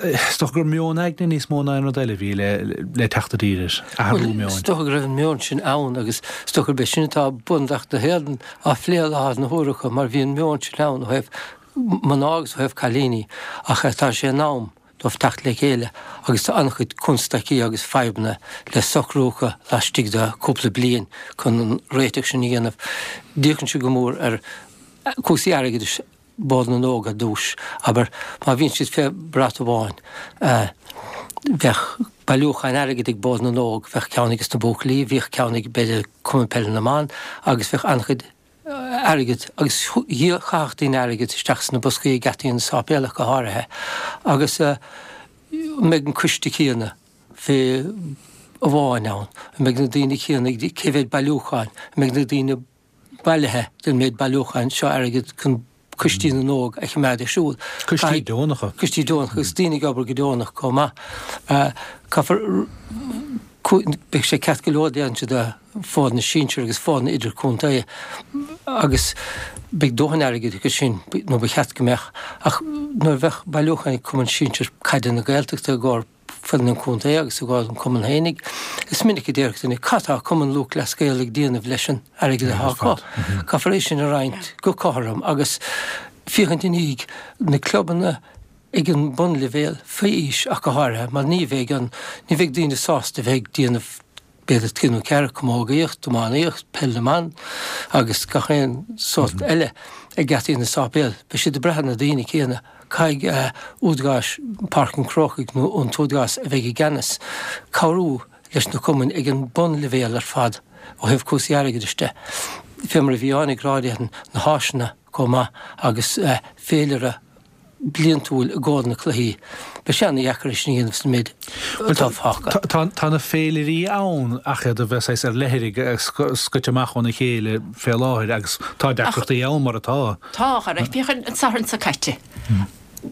Is dócha gur meon aigne níos mó ná aon rud eile a bhí le teacht i dtír air, athrú meoin. Is dócha go raibh an meon sin ann agus is dócha gurb é sin atá Bunreacht na hÉireann á phlé i láthair na huaire acu mar bhí an meon sin ann ó thaobh mná agus ó thaobh cailíní ach tá sé in am dóibh teacht le chéile agus tá an-chuid constaicí agus fadhbanna le socrú acu laistigh de chúpla bliain chun an réiteach sin a dhéanamh. D'fhéachann sé go mór ar chúrsaí airgeadais Bord na nÓg ar dtús. Abair, má bhíonn siad fé bhrat amháin, bheadh bailiúchán airgid ag Bord na nÓg, bheadh ceann ages na buachaillí, bhíodh ceann ag, b'fhéidir, Cumann Peile na mBan agus bheadh an-chuid airgid agus chaithfeadh daoine airgead isteach sna boscaí ag geataí na sáipéal ach go háirithe. Agus an mbeidh an coiste céanna fé amháin ann? An mbeidh na daoine céanna ag, cé mhéad bailiúcháin? An mbeidh na daoine bailithe den méid bailiúcháin seo airgid chun Coistí na nÓg a choimeád ar siúl. Coistí deonacha. Coistí deonacha agus daoine ag obair go deonach chomh maith. Caithfear, beidh sé ceart go leor déanann siad foirne sinsir agus foirne idirchontae agus beidh dóthain airgid acu sin, nó ba cheart go mbeadh, ach nuair a bheadh bailiúchán ag Cumann Sinsir Caide na Gaeltachta i gcomhair foireann an chontae agus i gcomhair an chumainn fhéinig. Is minic a déarfadh duine, 'Cad tá Cumann Lúthchleas Gael ag déanamh leis an airgead atá acu? Caithfear é sin a roinnt go cothrom agus féachaint i ndiaidh na clubanna ag an bunleibhéal, faoi aois ach go háirithe, mar ní bheidh an, ní bheidh daoine sásta bheith ag déanamh b'fhéidir trí nó ceathair, camógaíocht, iománaíocht, peil na mban agus gach aon sórt eile ag geataí na sáipéal. Beidh siad ag brath ar na daoine céanna. Caithfidh údaráis Páirc an Chrócaigh nó an t-údarás a bheidh i gceannas cabhrú leis na cumainn ag an bunleibhéal ar fad ó thaobh cúrsaí airgeadais de. Fé mar a bhí Áine ag rá déarfainn, na háiseanna chomh maith agus féilire bliantúil i gcomhair na cluichí. Beidh sé ana-dheacair é sin a dhéanamh sa méid atá fágtha. Tá na féilirí ann ach iad a bheith saghas ar leithrigh, scoite amach óna chéile fé láthair agus tá deacrachtaí ann mar atá. Tá, a chara. Féach an Satharn seo caite.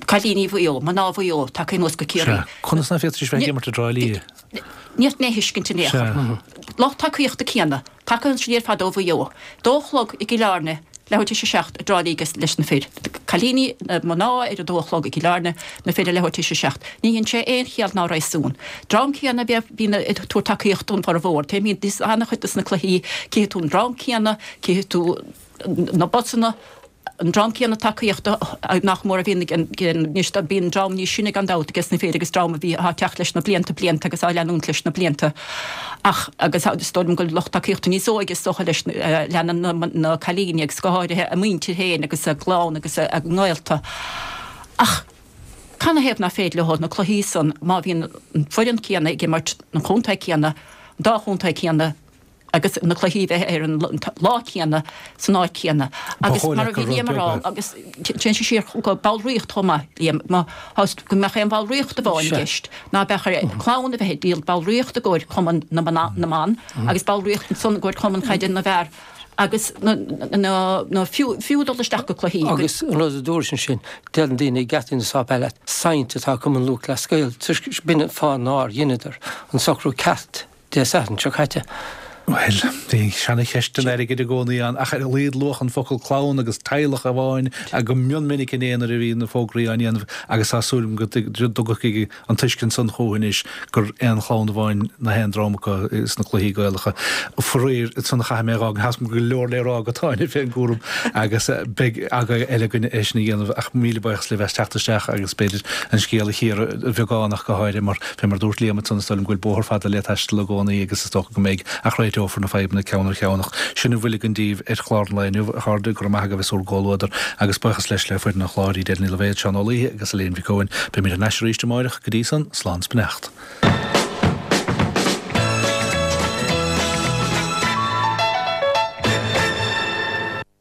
Cailíní Mhaigh Eo, mná Mhaigh Eo, tagtha anuas go Ciarraí. Sea. Conas ná féadfaidís bheith ag imirt i dTrá Lí? Ní féadfainn é a thuiscint in aon chor. Lucht tacaíochta céanna, tagtha ansin ar fad ó Mhaigh Eo. Dó a chlog i gCill Airne, leathuair tar éis a seacht i dTrá Lí leis na fir. Cailíní, na mná ar a dó a chlog i gCill Airne, na fir a leathuair tar éis a seacht. Ní dhein sé aon chiall ná réasún. Dream céanna a bhíonn ag tabhairt tacaíocht don bhformhór. Téimid an-chuid dos na cluichí, cífidh tú an dream céanna, cífidh tú na busanna, an dream céanna tacaíochta nach mór a bhíonn ag anois bíonn dream níos sine gan dabht ages na fir agus dream a bhí atá ag teacht leis na blianta blianta agus á leanúint leis na blianta ach agus is dóigh liom go bhfuil lucht tacaíochta níos óige is dócha leis leanann na na cailíní agus go háirithe a muintir féin agus a gclann agus a ngaolta ach canathaobh nach féidir leo na cluichí san má bhíonn an foireann céanna ag imirt an chontae céanna an dá chontae céanna agus na cluichí bheith ar an lá céanna san áit chéanna. Agus mar a bhí Liam a rá, agus téann sé siar go ballraíocht chomh maith, Liam, má go mbeadh aon bhallraíocht amháin i gceist, ná beadh ar chlann a bheith ag díol ballraíocht i gcomhair Cumann na mBan agus ballraíocht ansan i gcomhair Cumann Caide na bhFear agus na fiú dul isteach go cluichí. Agus an rud a dúrais ansin, deireann daoine ag geataí na sáipéal leat, saint atá Cumann Lúthchleas Gael, toisc b'in an fáth nár dheineadar an socrú ceart Dé Sathairn seo caite. Bhuel, bhí seana-cheist an airgid i gcónaí ann, ach ar a laghad luadh an focal clann agus teaghlach amháin go mion minic inné nuair a bhí na fógraí á ndéanamh agus tá súil agam go dtiocfaidh an tuiscint san chucu anois gur aon chlann amháin na haon dream acu sna cluichí Gaelacha. Faraor, san a chaithfidh mé a dhá, tá go leor le rá agat Áine fén gcúram agus beidh agaibh eile againn é sin a dhéanamh ach míle buíochas libh as teacht isteach agus b'fhéidir an scéal a chíoradh beagán ach go háirithe mar fé mar a dúirt Liam ansan is dóigh liom go bhfuil bóthar fada le taisteal i gcónaí agus is dócha go mbeidh ach réiteofar na fadhbanna ceann ar cheann ach sin a bhfuil againn daoibh ar chlár an lae inniu, a chairde, go raibh maith agaibh as bhur gcomhluadar agus buíochas leis le foireann an chláir, Edel Ní Loibhéad, Seán Ó Laoithe agus Elaine Mhic Eoin. Beimid thar n-ais arís amáireach, go dtí san, slán 's beannacht.